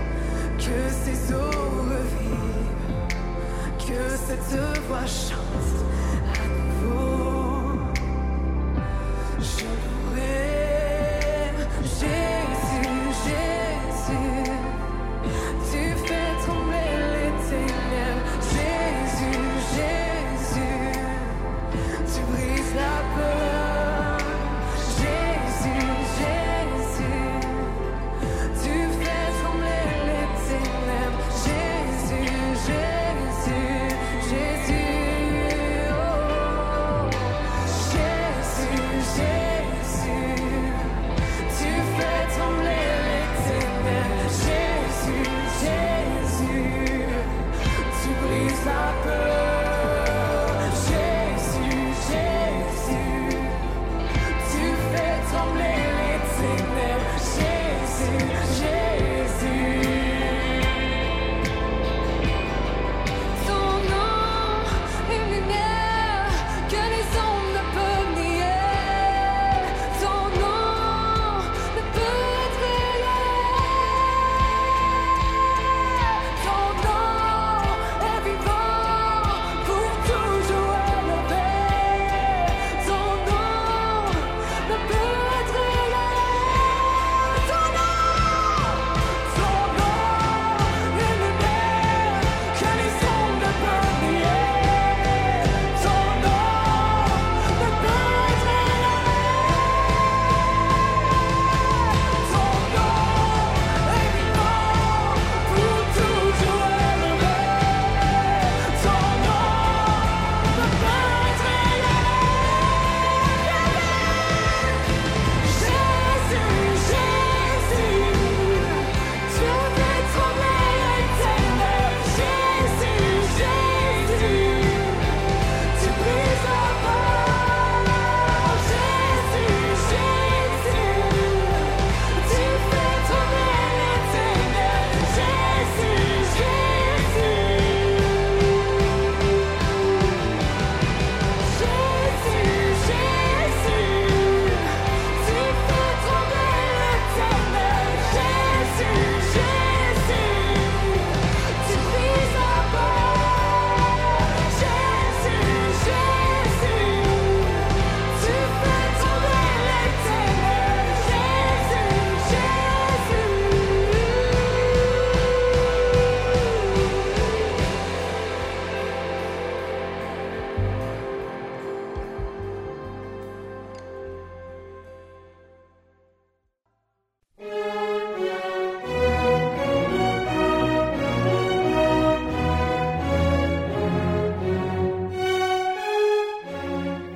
que ces eaux revivent, que cette voix chante à nouveau. Je louerai, Jésus, Jésus, tu fais trembler les ténèbres. Jésus, Jésus, tu brises la peur. Jésus, Jésus, tu fais trembler les ténèbres. Jésus, Jésus, Jésus, oh.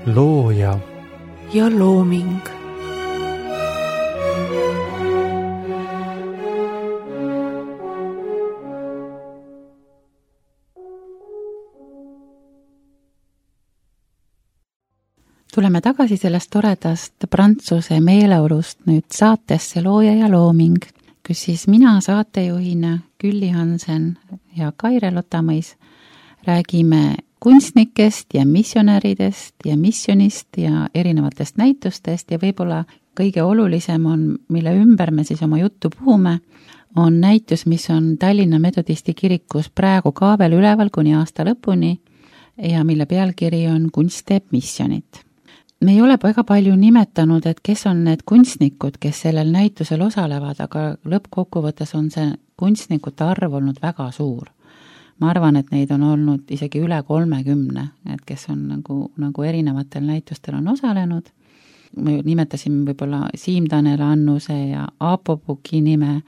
looja ja looming. Tuleme tagasi sellest toredast prantsuse meeleolust nüüd saatesse Looja ja looming, kus siis mina saatejuhina Külli Hansen ja Kaire Lotamõis räägime kunstnikest ja missionäridest ja missionist ja erinevatest näitustest ja võib-olla kõige olulisem on, mille ümber me siis oma juttu puhume, on näitus, mis on Tallinna Metodisti kirikus praegu ka veel üleval kuni aasta lõpuni ja mille pealkiri on Kunst teeb missionit. Me ei ole väga palju nimetanud, et kes on need kunstnikud, kes sellel näitusel osalevad, aga lõppkokkuvõttes on see kunstnikute arv olnud väga suur. Ma arvan, et neid on olnud isegi üle kolmekümne, et kes on nagu, nagu erinevatel näitustel on osalenud. Me nimetasime võib-olla Siim Tanel Annuse ja Aapo Puki nime,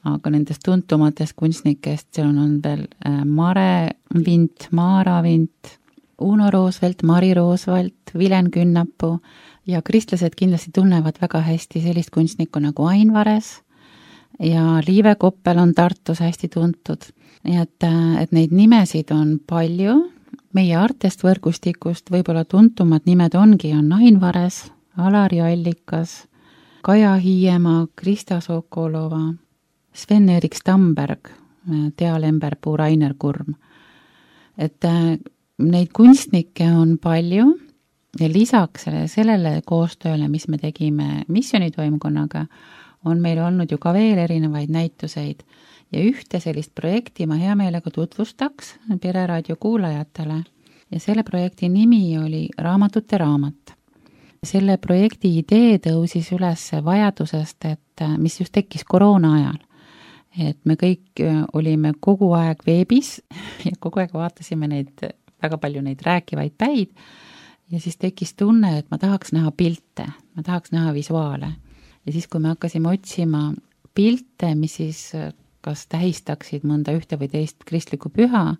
aga nendest tuntumatest kunstnikest seal on veel Mare Vint, Maara Vint, Uno Roosvelt, Mari Roosvelt, Vilen Künnapuu ja kristlased kindlasti tunnevad väga hästi sellist kunstnikku nagu Ain Vares ja Liive Koppel on Tartus hästi tuntud. Nii et, et neid nimesid on palju. Meie Artest võrgustikust võib-olla tuntumad nimed ongi on Ain Vares, Alari Allikas, Kaja Hiiemaa, Krista Sokolova, Sven-Erik Stamberg, Tea Lemberpuu, Rainer Kurm. Et neid kunstnikke on palju ja lisaks sellele koostööle, mis me tegime missionitoimkonnaga, on meil olnud ju ka veel erinevaid näituseid ja ühte sellist projekti ma hea meelega tutvustaks Pereraadio kuulajatele ja selle projekti nimi oli Raamatute raamat. Selle projekti idee tõusis üles vajadusest, et mis just tekkis koroona ajal. Et me kõik olime kogu aeg veebis ja kogu aeg vaatasime neid väga palju neid rääkivaid päid ja siis tekkis tunne, et ma tahaks näha pilte, ma tahaks näha visuaale. Ja siis, kui me hakkasime otsima pilte, mis siis kas tähistaksid mõnda ühte või teist kristlikku püha,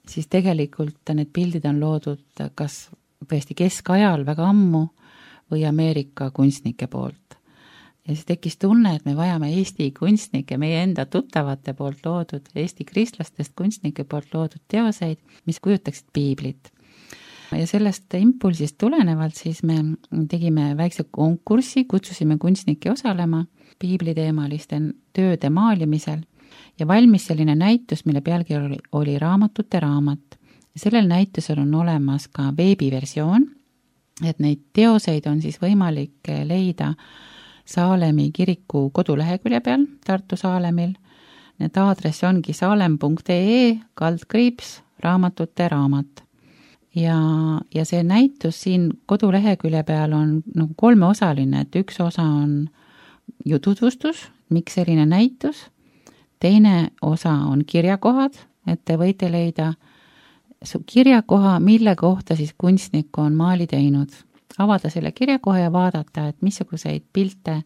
siis tegelikult need pildid on loodud kas tõesti keskajal väga ammu või Ameerika kunstnike poolt. Ja siis tekkis tunne, et me vajame Eesti kunstnike, meie enda tuttavate poolt loodud, Eesti kristlastest kunstnike poolt loodud teoseid, mis kujutaksid piiblit. Ja sellest impulsist tulenevalt siis me tegime väikse konkurssi, kutsusime kunstnikke osalema piibliteemaliste tööde maalimisel ja valmis selline näitus, mille pealkiri oli, oli Raamatute raamat. Sellel näitusel on olemas ka veebiversioon, et neid teoseid on siis võimalik leida Saalemi kiriku kodulehekülje peal Tartu Saalemil. Need aadress ongi saalem punkt ee kaldkriips raamatute raamat. Ja, ja see näitus siin kodulehekülje peal on nagu kolmeosaline, et üks osa on ju tutvustus, miks selline näitus, teine osa on kirjakohad, et te võite leida kirjakoha, mille kohta siis kunstnik on maali teinud. Avada selle kirjakoha ja vaadata, et missuguseid pilte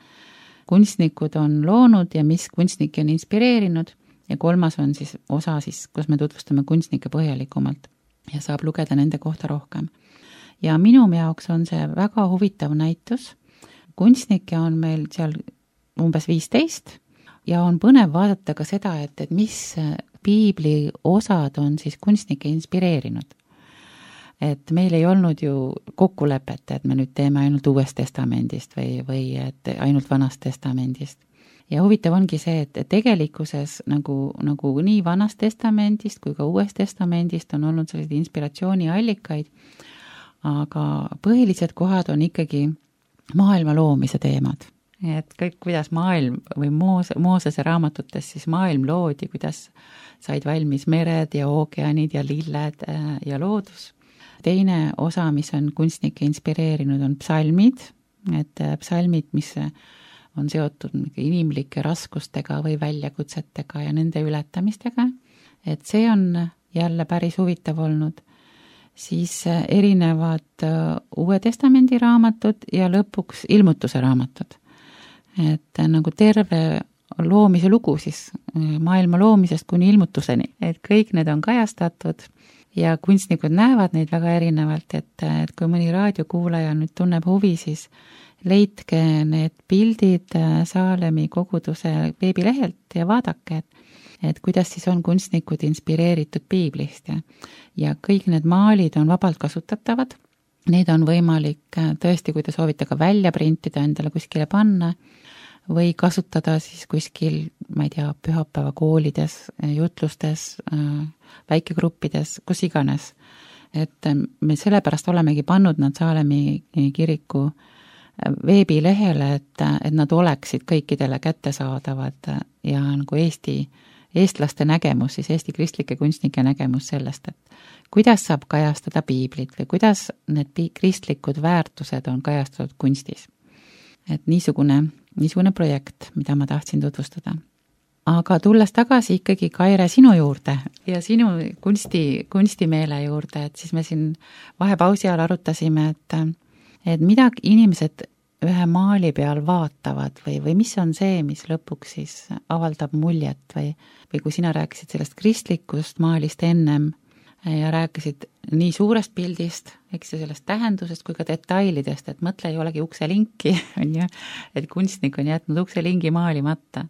kunstnikud on loonud ja mis kunstnikke on inspireerinud ja kolmas on siis osa, siis, kus me tutvustame kunstnikke põhjalikumalt ja saab lugeda nende kohta rohkem. Ja minu jaoks on see väga huvitav näitus. Kunstnikke on meil seal umbes viisteist ja on põnev vaadata ka seda, et, et mis piibli osad on siis kunstnikke inspireerinud. Et meil ei olnud ju kokkulepet, et me nüüd teeme ainult Uuest Testamendist või, või et ainult Vanast Testamendist. Ja huvitav ongi see, et tegelikkuses nagu, nagu nii Vanast Testamendist kui ka Uuest Testamendist on olnud sellised inspiratsiooniallikaid, aga põhilised kohad on ikkagi maailma loomise teemad. Et kõik, kuidas maailm või Moose, Moosese raamatutes siis maailm loodi, kuidas said valmis mered ja ookeanid ja lilled ja loodus. Teine osa, mis on kunstnikke inspireerinud, on psalmid, et psalmid, mis on seotud inimlike raskustega või väljakutsetega ja nende ületamistega. Et see on jälle päris huvitav olnud. Siis erinevad Uue Testamendi raamatud ja lõpuks ilmutuse raamatud. Et nagu terve loomise lugu siis maailma loomisest kuni ilmutuseni. Et kõik need on kajastatud ja kunstnikud näevad neid väga erinevalt, et, et kui mõni raadiokuulaja nüüd tunneb huvi, siis leidke need pildid Saalemi koguduse veebilehelt ja vaadake, et, et kuidas siis on kunstnikud inspireeritud piiblist ja, ja kõik need maalid on vabalt kasutatavad. Need on võimalik tõesti, kui te soovite ka välja printida, endale kuskile panna või kasutada siis kuskil, ma ei tea, pühapäeva koolides, jutlustes, väikegruppides, kus iganes. Et me sellepärast olemegi pannud nad Saalemi kiriku veebilehele, et, et nad oleksid kõikidele kättesaadavad ja nagu Eesti, eestlaste nägemus, siis Eesti kristlike kunstnike nägemus sellest, et kuidas saab kajastada piiblit või kuidas need kristlikud väärtused on kajastatud kunstis. Et niisugune, niisugune projekt, mida ma tahtsin tutvustada. Aga tulles tagasi ikkagi, Kaire, sinu juurde ja sinu kunsti, kunstimeele juurde, et siis me siin vahepausi ajal arutasime, et, et mida inimesed ühe maali peal vaatavad või, või mis on see, mis lõpuks siis avaldab muljet või, või kui sina rääkisid sellest kristlikust maalist ennem ja rääkisid nii suurest pildist, eks ju, sellest tähendusest kui ka detailidest, et mõtle ei olegi ukselinki, on ju, et kunstnik on jätnud ukselingi maalimata.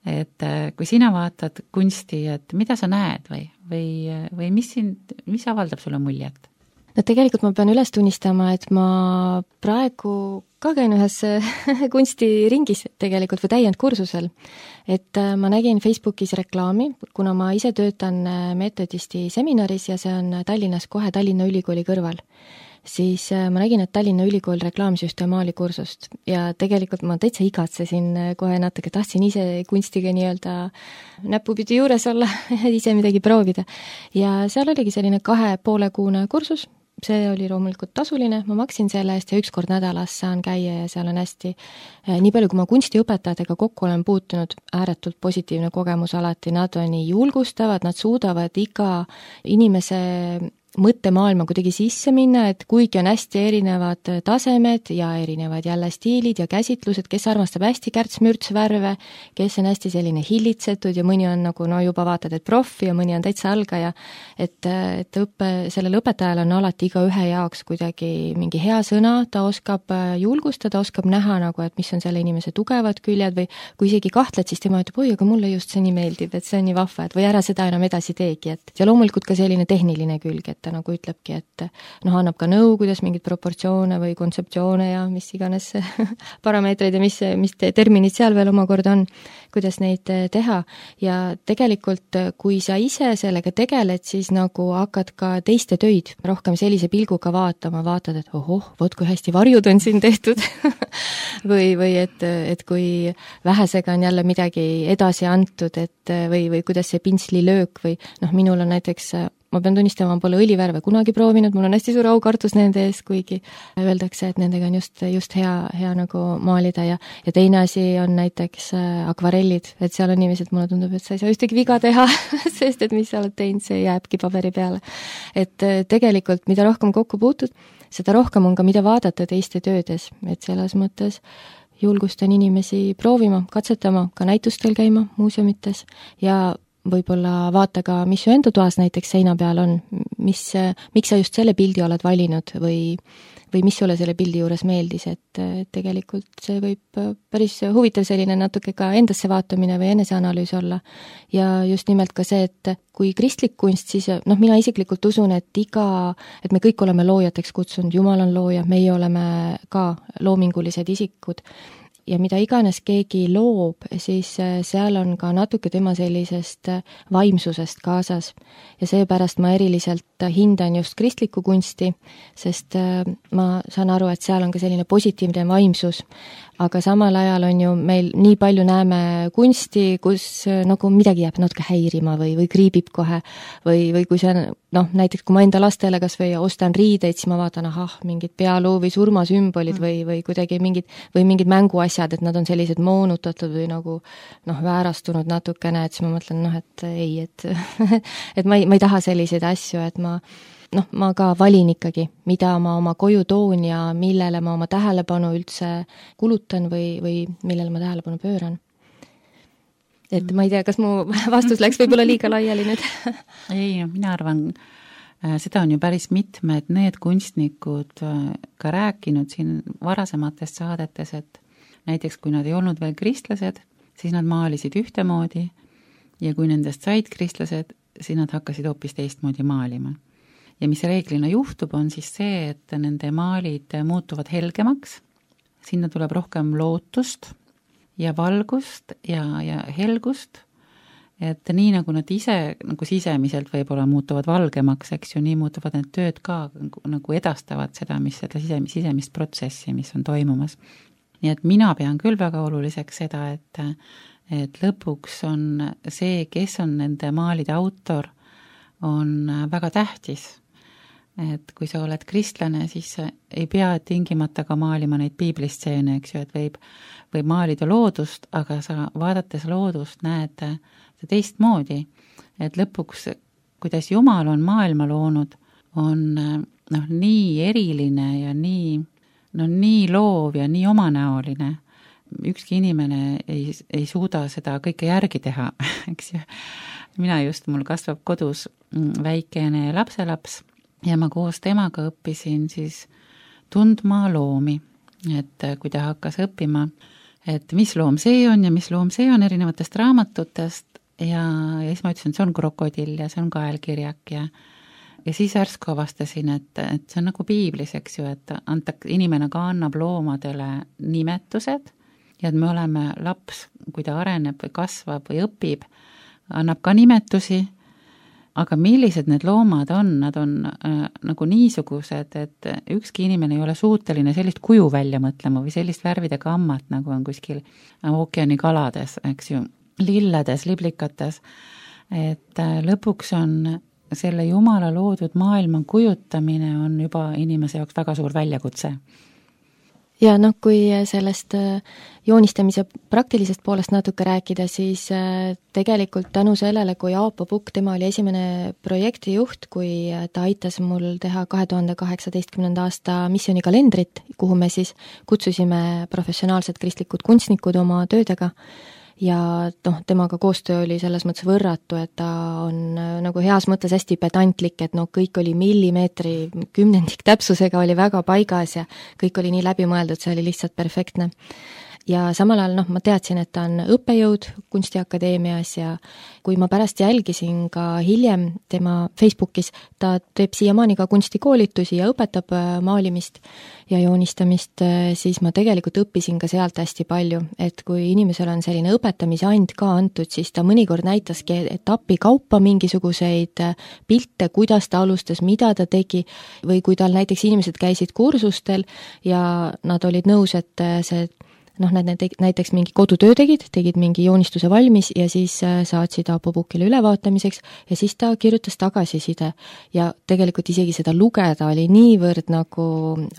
Et kui sina vaatad kunsti, et mida sa näed või, või, või mis, siin, mis avaldab sulle muljet? No tegelikult ma pean üles tunnistama, et ma praegu ka käin ühes kunstiringis tegelikult või täiendkursusel. Et ma nägin Facebookis reklaami, kuna ma ise töötan meetodisti seminaris ja see on Tallinnas kohe Tallinna Ülikooli kõrval, siis ma nägin, et Tallinna Ülikool reklaamis just maalikursust ja tegelikult ma täitsa igatsesin kohe natuke, tahtsin ise kunstiga nii-öelda näpupidi juures olla, ise midagi proovida. Ja seal oligi selline kahe poole kuune kursus, see oli loomulikult tasuline, ma maksin selle eest ja üks kord nädalas saan käia ja seal on hästi, nii palju kui ma kunstiõpetajatega kokku olen puutunud, ääretult positiivne kogemus alati, nad on nii julgustavad, nad suudavad iga inimese mõttemaailma kuidagi sisse minna, et kuigi on hästi erinevad tasemed ja erinevad jälle stiilid ja käsitlused, kes armastab hästi kärts-mürts värve, kes on hästi selline hillitsetud ja mõni on nagu no juba vaatad, et profi ja mõni on täitsa algaja, et, et õppe, sellel õpetajal on alati iga ühe jaoks kuidagi mingi hea sõna, ta oskab julgustada, oskab näha nagu, et mis on selle inimese tugevad küljed või kui isegi kahtled, siis tema ütleb, oi, aga mulle just see nii meeldib, et see on nii vahva, et või ära seda enam edasi teegi, et ja loomulikult ka selline tehniline külg, et ta nagu ütlebki, et noh, annab ka nõu, kuidas mingeid proportsioone või kontseptsioone ja mis iganes parameetreid ja mis, mis terminid seal veel omakorda on, kuidas neid teha. Ja tegelikult, kui sa ise sellega tegeled, siis nagu hakkad ka teiste töid rohkem sellise pilguga vaatama, vaatad, et ohoh, vot kui hästi varjud on siin tehtud või, või et, et kui vähesega on jälle midagi edasi antud, et või, või kuidas see pintslilöök või noh, minul on näiteks ma pean tunnistama, ma pole õlivärve kunagi proovinud, mul on hästi suur aukartus nende ees, kuigi öeldakse, et nendega on just, just hea, hea nagu maalida ja, ja teine asi on näiteks akvarellid, et seal on inimesed, mulle tundub, et sa ei saa ühtegi viga teha, sest et mis sa oled teinud, see jääbki paberi peale. Et tegelikult, mida rohkem kokku puutud, seda rohkem on ka mida vaadata teiste töödes, et selles mõttes julgustan inimesi proovima, katsetama, ka näitustel käima muuseumites ja võib-olla vaata ka, mis su enda toas näiteks seina peal on, mis, miks sa just selle pildi oled valinud või, või mis sulle selle pildi juures meeldis, et tegelikult see võib päris huvitav selline natuke ka endasse vaatamine või eneseanalüüs olla. Ja just nimelt ka see, et kui kristlik kunst, siis noh, mina isiklikult usun, et iga, et me kõik oleme loojateks kutsunud, Jumal on looja, meie oleme ka loomingulised isikud. Ja mida iganes keegi loob, siis seal on ka natuke tema sellisest vaimsusest kaasas. Ja seepärast ma eriliselt hindan just kristlikku kunsti, sest ma saan aru, et seal on ka selline positiivne vaimsus. Aga samal ajal on ju meil nii palju näeme kunsti, kus nagu midagi jääb natuke häirima või, või kriibib kohe või, või kui see on, noh, näiteks kui ma enda lastele kas või ostan riideid, siis ma vaatan, ahah, mingid pealuu või surmasümbolid või, või kuidagi mingid, või mingid mänguasjad, et nad on sellised moonutatud või nagu noh, väärastunud natukene, et siis ma mõtlen, noh, et ei, et, et ma ei, ma ei taha selliseid asju, et ma noh, ma ka valin ikkagi, mida ma oma koju toon ja millele ma oma tähelepanu üldse kulutan või, või millele ma tähelepanu pööran. Et ma ei tea, kas mu vastus läks võib-olla liiga laiali nüüd? Ei, mina arvan seda on ju päris mitmed need kunstnikud ka rääkinud siin varasematest saadetes, et näiteks kui nad ei olnud veel kristlased, siis nad maalisid ühtemoodi ja kui nendest said kristlased, siis nad hakkasid hoopis teistmoodi maalima. Ja mis reeglina juhtub, on siis see, et nende maalid muutuvad helgemaks, sinna tuleb rohkem lootust ja valgust ja, ja helgust, et nii nagu nad ise nagu sisemiselt võib-olla muutuvad valgemaks, eks ju, nii muutuvad need tööd ka nagu edastavad seda, mis seda sisemist, sisemist protsessi, mis on toimumas. Nii et mina pean küll väga oluliseks seda, et, et lõpuks on see, kes on nende maalide autor, on väga tähtis. Et kui sa oled kristlane, siis ei pea tingimata ka maalima neid piiblistseene, eks ju, et võib, võib maalida loodust, aga sa vaadates loodust näed teistmoodi, et lõpuks, kuidas Jumal on maailma loonud, on noh, nii eriline ja nii, no, nii loov ja nii omanäoline. Ükski inimene ei, ei suuda seda kõike järgi teha, eks ju. Mina just, mul kasvab kodus väikene lapselaps ja ma koos temaga õppisin siis tundma loomi, et kui ta hakkas õppima, et mis loom see on ja mis loom see on erinevatest raamatutest, ja, ja siis ma ütlesin, et see on krokodill ja see on kaelkirjak ja, ja siis ärsku avastasin, et, et see on nagu piiblis, eks ju, et anta, inimene ka annab loomadele nimetused ja et me oleme laps, kui ta areneb või kasvab või õpib, annab ka nimetusi, aga millised need loomad on, nad on äh, nagu niisugused, et ükski inimene ei ole suuteline sellist kuju välja mõtlema või sellist värvide gammat, nagu on kuskil ookeani kalades, eks ju, lilledes, liblikates, et lõpuks on selle Jumala loodud maailma kujutamine on juba inimese jaoks väga suur väljakutse. Ja noh, kui sellest joonistamise praktilisest poolest natuke rääkida, siis tegelikult tänu sellele, kui Aapo Pukk, tema oli esimene projektijuht, kui ta aitas mul teha kahe tuhande kaheksateistkümnenda aasta missioonikalendrit, kuhu me siis kutsusime professionaalsed kristlikud kunstnikud oma töödega, ja noh, temaga koostöö oli selles mõttes võrratu, et ta on nagu heas mõttes hästi pedantlik, et noh, kõik oli millimeetri kümnendik täpsusega oli väga paigas ja kõik oli nii läbimõeldud, see oli lihtsalt perfektne. Ja samal ajal noh, ma teadsin, et ta on õppejõud Kunstiakadeemias ja kui ma pärast jälgisin ka hiljem tema Facebookis, ta teeb siiamaani ka kunstikoolitusi ja õpetab maalimist ja joonistamist, siis ma tegelikult õppisin ka sealt hästi palju, et kui inimesel on selline õpetamise and ka antud, siis ta mõnikord näitaski etapi kaupa mingisuguseid pilte, kuidas ta alustas, mida ta tegi, või kui tal näiteks inimesed käisid kursustel ja nad olid nõus, et see noh, nad näiteks mingi kodutöö tegid, tegid mingi joonistuse valmis ja siis saatsid Aapo Pukkile ülevaatamiseks ja siis ta kirjutas tagasiside ja tegelikult isegi seda lugeda oli niivõrd nagu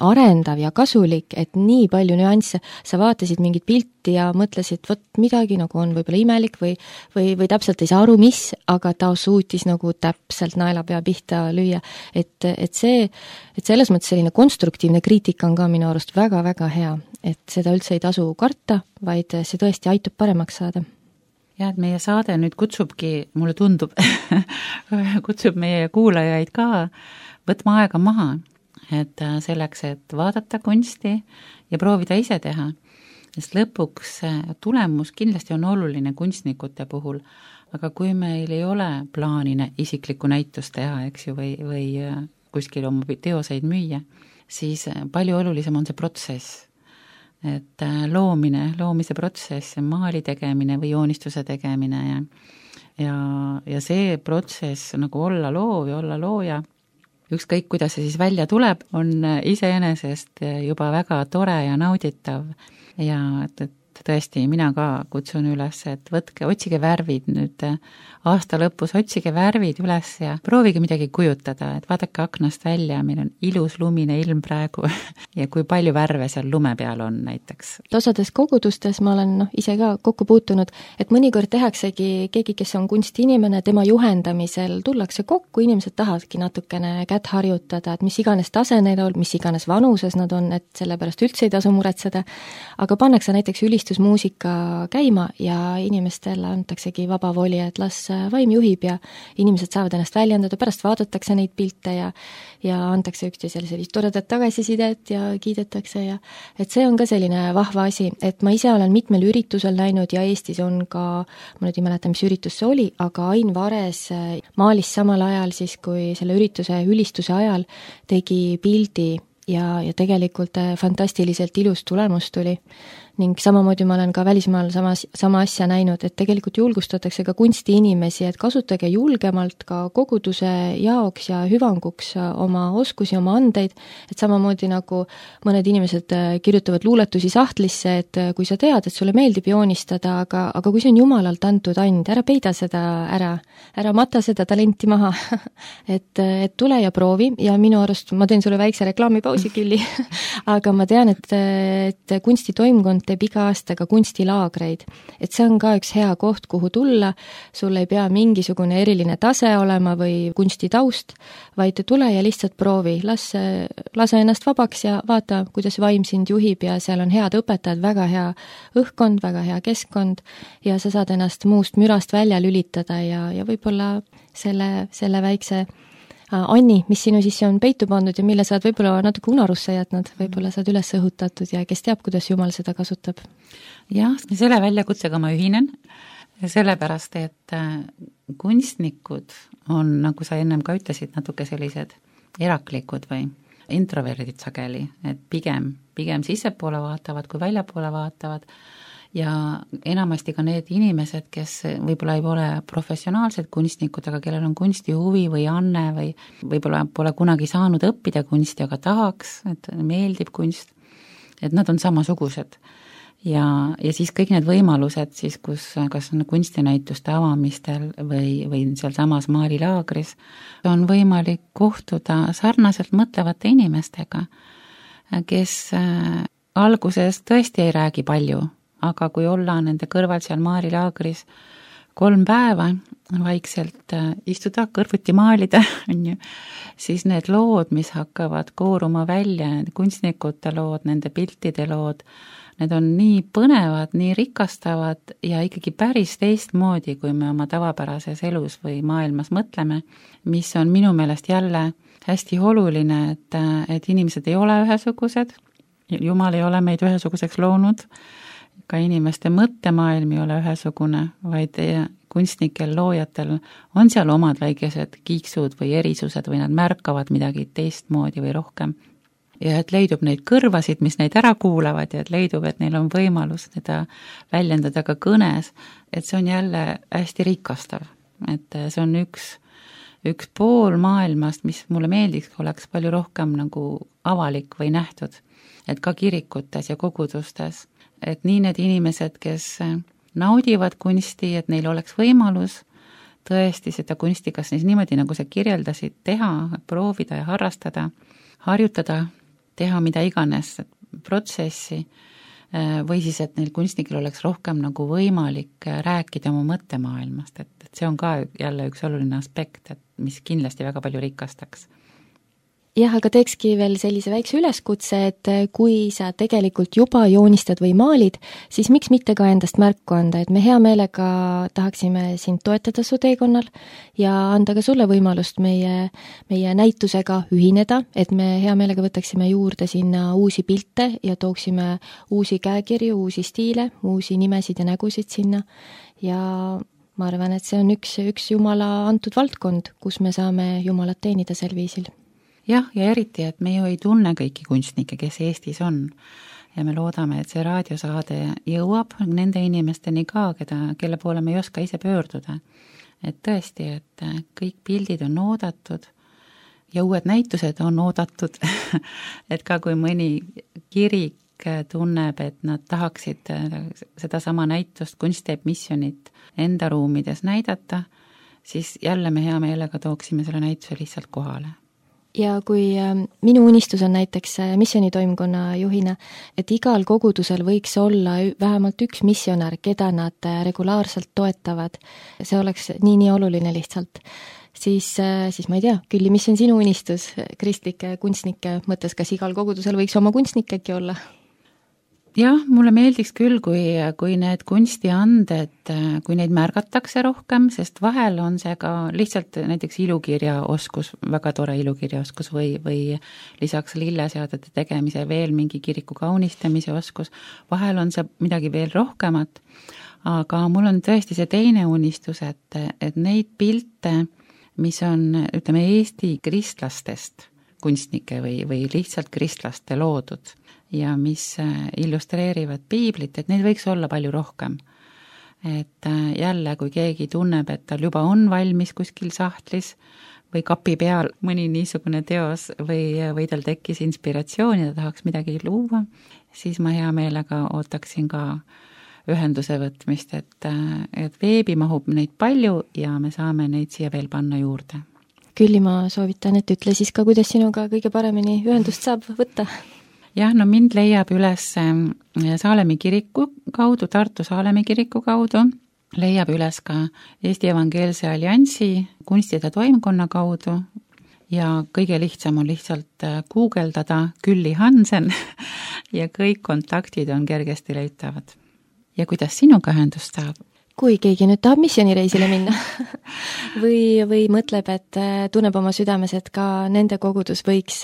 arendav ja kasulik, et nii palju nüansse, sa vaatasid mingit pilti ja mõtlesid, vot midagi nagu on võib-olla imelik või, või, või täpselt ei saa aru, mis, aga ta suutis nagu täpselt naelapea pihta lüüa, et, et see, et selles mõttes selline konstruktiivne kriitika on ka minu arust väga-väga hea, et seda üldse ei tasu karta, vaid see tõesti aitab paremaks saada. Ja, et meie saade nüüd kutsubki, mulle tundub, kutsub meie kuulajaid ka võtma aega maha, et selleks, et vaadata kunsti ja proovida ise teha. Sest lõpuks tulemus kindlasti on oluline kunstnikute puhul, aga kui meil ei ole plaanine isiklikku näitust teha, eks ju, või, või kuskil oma teoseid müüa, siis palju olulisem on see protsess. Et loomine, loomise protsess, maali tegemine või joonistuse tegemine ja, ja, ja see protsess nagu olla loov ja olla looja, ükskõik kuidas see siis välja tuleb, on iseenesest juba väga tore ja nauditav ja et, et tõesti, mina ka kutsun üles, et võtke, otsige värvid nüüd aasta lõpus, otsige värvid üles ja proovige midagi kujutada, et vaadake aknast välja, meil on ilus lumine ilm praegu ja kui palju värve seal lume peal on näiteks. Osades kogudustes ma olen noh, ise ka kokku puutunud, et mõnikord tehaksegi keegi, kes on kunstiinimene, tema juhendamisel tullakse kokku, inimesed tahavadki natukene kätt harjutada, et mis iganes tase neil on, mis iganes vanuses nad on, et sellepärast üldse ei tasu muretseda, aga pannakse näiteks ülistus ülistusmuusika käima ja inimestele antaksegi vaba voli, et las vaim juhib ja inimesed saavad ennast väljendada, pärast vaadatakse neid pilte ja ja antakse üksteisele sellist toredat tagasisidet ja kiidetakse ja et see on ka selline vahva asi, et ma ise olen mitmel üritusel näinud ja Eestis on ka, ma nüüd ei mäleta, mis üritus see oli, aga Ain Vares maalis samal ajal siis, kui selle ürituse ülistuse ajal tegi pildi ja, ja tegelikult fantastiliselt ilus tulemus tuli. Ning samamoodi ma olen ka välismaal sama, sama asja näinud, et tegelikult julgustatakse ka kunstiinimesi, et kasutage julgemalt ka koguduse jaoks ja hüvanguks oma oskusi, oma andeid, et samamoodi nagu mõned inimesed kirjutavad luuletusi sahtlisse, et kui sa tead, et sulle meeldib joonistada, aga, aga kui see on jumalalt antud and, ära peida seda ära, ära mata seda talenti maha et, et tule ja proovi ja minu arust, ma teen sulle väikse reklaamipausi külli aga ma tean, et, et kunstitoimkond teeb iga aasta ka kunstilaagreid. Et see on ka üks hea koht, kuhu tulla, sul ei pea mingisugune eriline tase olema või kunstitaust, vaid tule ja lihtsalt proovi, las, lase ennast vabaks ja vaata, kuidas vaim sind juhib ja seal on head õpetajad, väga hea õhkkond, väga hea keskkond ja sa saad ennast muust mürast välja lülitada ja, ja võib-olla selle, selle väikse Anni, mis sinu sisse on peitu pandud ja mille sa oled võib-olla natuke unarusse jätnud, võib-olla sa oled üles õhutatud ja kes teab, kuidas Jumal seda kasutab. Jah, selle väljakutsega ma ühinen, sellepärast, et kunstnikud on, nagu sa ennem ka ütlesid, natuke sellised eraklikud või introverdid sageli, et pigem, pigem sissepoole vaatavad, kui väljapoole vaatavad ja enamasti ka need inimesed, kes võib-olla ei ole professionaalsed kunstnikud, aga kellel on kunstihuvi või anne või võib-olla pole kunagi saanud õppida kunsti, aga tahaks, et meeldib kunst, et nad on samasugused. Ja, ja siis kõik need võimalused siis, kus kas on kunstinäituste avamistel või, või seal samas maalilaagris, on võimalik kohtuda sarnaselt mõtlevate inimestega, kes alguses tõesti ei räägi palju, aga kui olla nende kõrval seal maalilaagris kolm päeva, vaikselt istuda, kõrvuti maalida, on ju, siis need lood, mis hakkavad kooruma välja, kunstnikute lood, nende piltide lood, need on nii põnevad, nii rikastavad ja ikkagi päris teistmoodi, kui me oma tavapärases elus või maailmas mõtleme, mis on minu meelest jälle hästi oluline, et, et inimesed ei ole ühesugused, Jumal ei ole meid ühesuguseks loonud, ka inimeste mõttemaailm ei ole ühesugune, vaid kunstnikel, loojatel on seal omad väikesed kiiksud või erisused või nad märkavad midagi teistmoodi või rohkem. Ja et leidub neid kõrvasid, mis neid ära kuulavad ja et leidub, et neil on võimalus seda väljendada ka kõnes, et see on jälle hästi rikastav. Et see on üks, üks pool maailmast, mis mulle meeldiks, oleks palju rohkem nagu avalik või nähtud, et ka kirikutes ja kogudustes. Et nii need inimesed, kes naudivad kunsti, et neil oleks võimalus tõesti seda kunsti, kas siis niimoodi, nagu sa kirjeldasid, teha, proovida ja harrastada, harjutada, teha mida iganes protsessi, või siis, et neil kunstnikel oleks rohkem nagu võimalik rääkida oma mõttemaailmast, et, et see on ka jälle üks oluline aspekt, et mis kindlasti väga palju rikastaks. Jah, aga teekski veel sellise väikse üleskutse, et kui sa tegelikult juba joonistad või maalid, siis miks mitte ka endast märku anda, et me hea meelega tahaksime sind toetada su teekonnal ja anda ka sulle võimalust meie, meie näitusega ühineda, et me hea meelega võtaksime juurde sinna uusi pilte ja tooksime uusi käekirju, uusi stiile, uusi nimesid ja nägusid sinna ja ma arvan, et see on üks, üks Jumala antud valdkond, kus me saame Jumalat teenida sel viisil. Jah, ja eriti, et me ju ei tunne kõiki kunstnikke, kes Eestis on. Ja me loodame, et see raadiosaade jõuab nende inimesteni ka, keda, kelle poole me ei oska ise pöörduda. Et tõesti, et kõik pildid on oodatud ja uued näitused on oodatud. et ka kui mõni kirik tunneb, et nad tahaksid seda sama näitust, Kunst teeb missionit enda ruumides näidata, siis jälle me hea meelega tooksime selle näituse lihtsalt kohale. Ja kui minu unistus on näiteks missionitoimkonna juhina, et igal kogudusel võiks olla vähemalt üks missionär, keda nad regulaarselt toetavad, see oleks nii-nii oluline lihtsalt, siis, siis ma ei tea, Külli, mis on sinu unistus kristlike kunstnike mõttes, kas igal kogudusel võiks oma kunstnik äkki olla? jah, mulle meeldiks küll, kui, kui need kunstianded, kui neid märgatakse rohkem, sest vahel on see ka lihtsalt näiteks ilukirjaoskus, väga tore ilukirjaoskus või, või lisaks lilleseadete tegemise veel mingi kiriku kaunistamise oskus, vahel on see midagi veel rohkemat, aga mul on tõesti see teine unistus, et, et neid pilte, mis on, ütleme, Eesti kristlastest kunstnike või, või lihtsalt kristlaste loodud ja mis illustreerivad piiblit, et neid võiks olla palju rohkem. Et jälle, kui keegi tunneb, et tal juba on valmis kuskil sahtlis või kapi peal mõni niisugune teos või, või tal tekkis inspiratsioon ja ta tahaks midagi luua, siis ma hea meelega ootaksin ka ühenduse võtmist, et, et veebi mahub neid palju ja me saame neid siia veel panna juurde. Külli, ma soovitan, et ütle siis ka, kuidas sinuga kõige paremini ühendust saab võtta. Jah, no mind leiab üles Saalemi kiriku kaudu, Tartu Saalemi kiriku kaudu, leiab üles ka Eesti Evangeelse Alliansi kunstide toimkonna kaudu ja kõige lihtsam on lihtsalt guugeldada Külli Hansen ja kõik kontaktid on kergesti leitavad. Ja kuidas sinuga ühendust saab? Kui keegi nüüd tahab missioonireisile minna või, või mõtleb, et tunneb oma südames, et ka nende kogudus võiks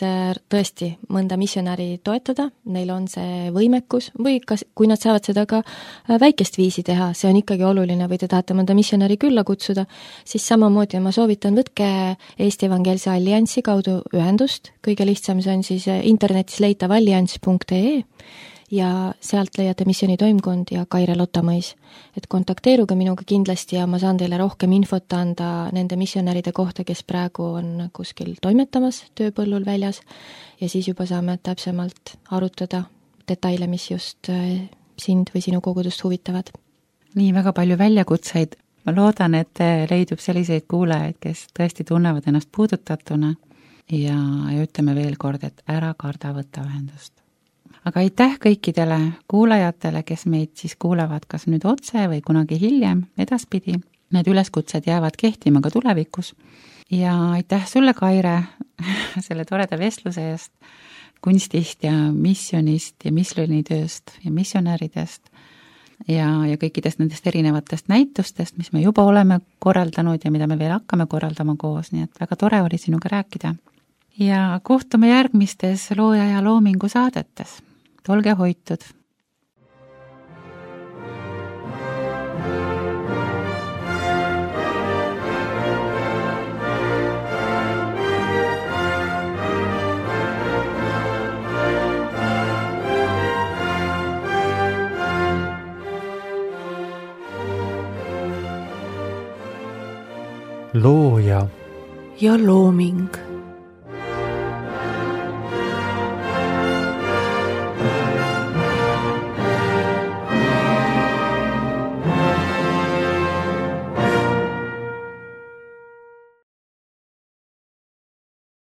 tõesti mõnda missionäri toetada, neil on see võimekus või kas, kui nad saavad seda ka väikest viisi teha, see on ikkagi oluline, või te tahate mõnda missionäri külla kutsuda, siis samamoodi ma soovitan, võtke Eesti Evangeelse Alliansi kaudu ühendust, kõige lihtsam see on siis internetis leitav allianss punkt ee ja sealt leiate missiooni toimkond ja Kaire Lottamõis. Et kontakteeruge minuga kindlasti ja ma saan teile rohkem infot anda nende missionäride kohta, kes praegu on kuskil toimetamas tööpõllul väljas ja siis juba saame täpsemalt arutada detaile, mis just sind või sinu kogudust huvitavad. Nii väga palju väljakutseid. Ma loodan, et leidub selliseid kuulajaid, kes tõesti tunnevad ennast puudutatuna ja, ja ütleme veel kord, et ära karda võtta ühendust. Aga aitäh kõikidele kuulajatele, kes meid siis kuulevad kas nüüd otse või kunagi hiljem, edaspidi. Need üleskutsed jäävad kehtima ka tulevikus. Ja aitäh sulle, Kaire, selle toreda vestluse eest kunstist ja missionist ja missionitööst ja missionäridest ja, ja kõikidest nendest erinevatest näitustest, mis me juba oleme korraldanud ja mida me veel hakkame korraldama koos, nii et väga tore oli sinuga rääkida. Ja kohtume järgmistes Looja ja loomingu saadetes. Olge hoitud! Looja ja looming.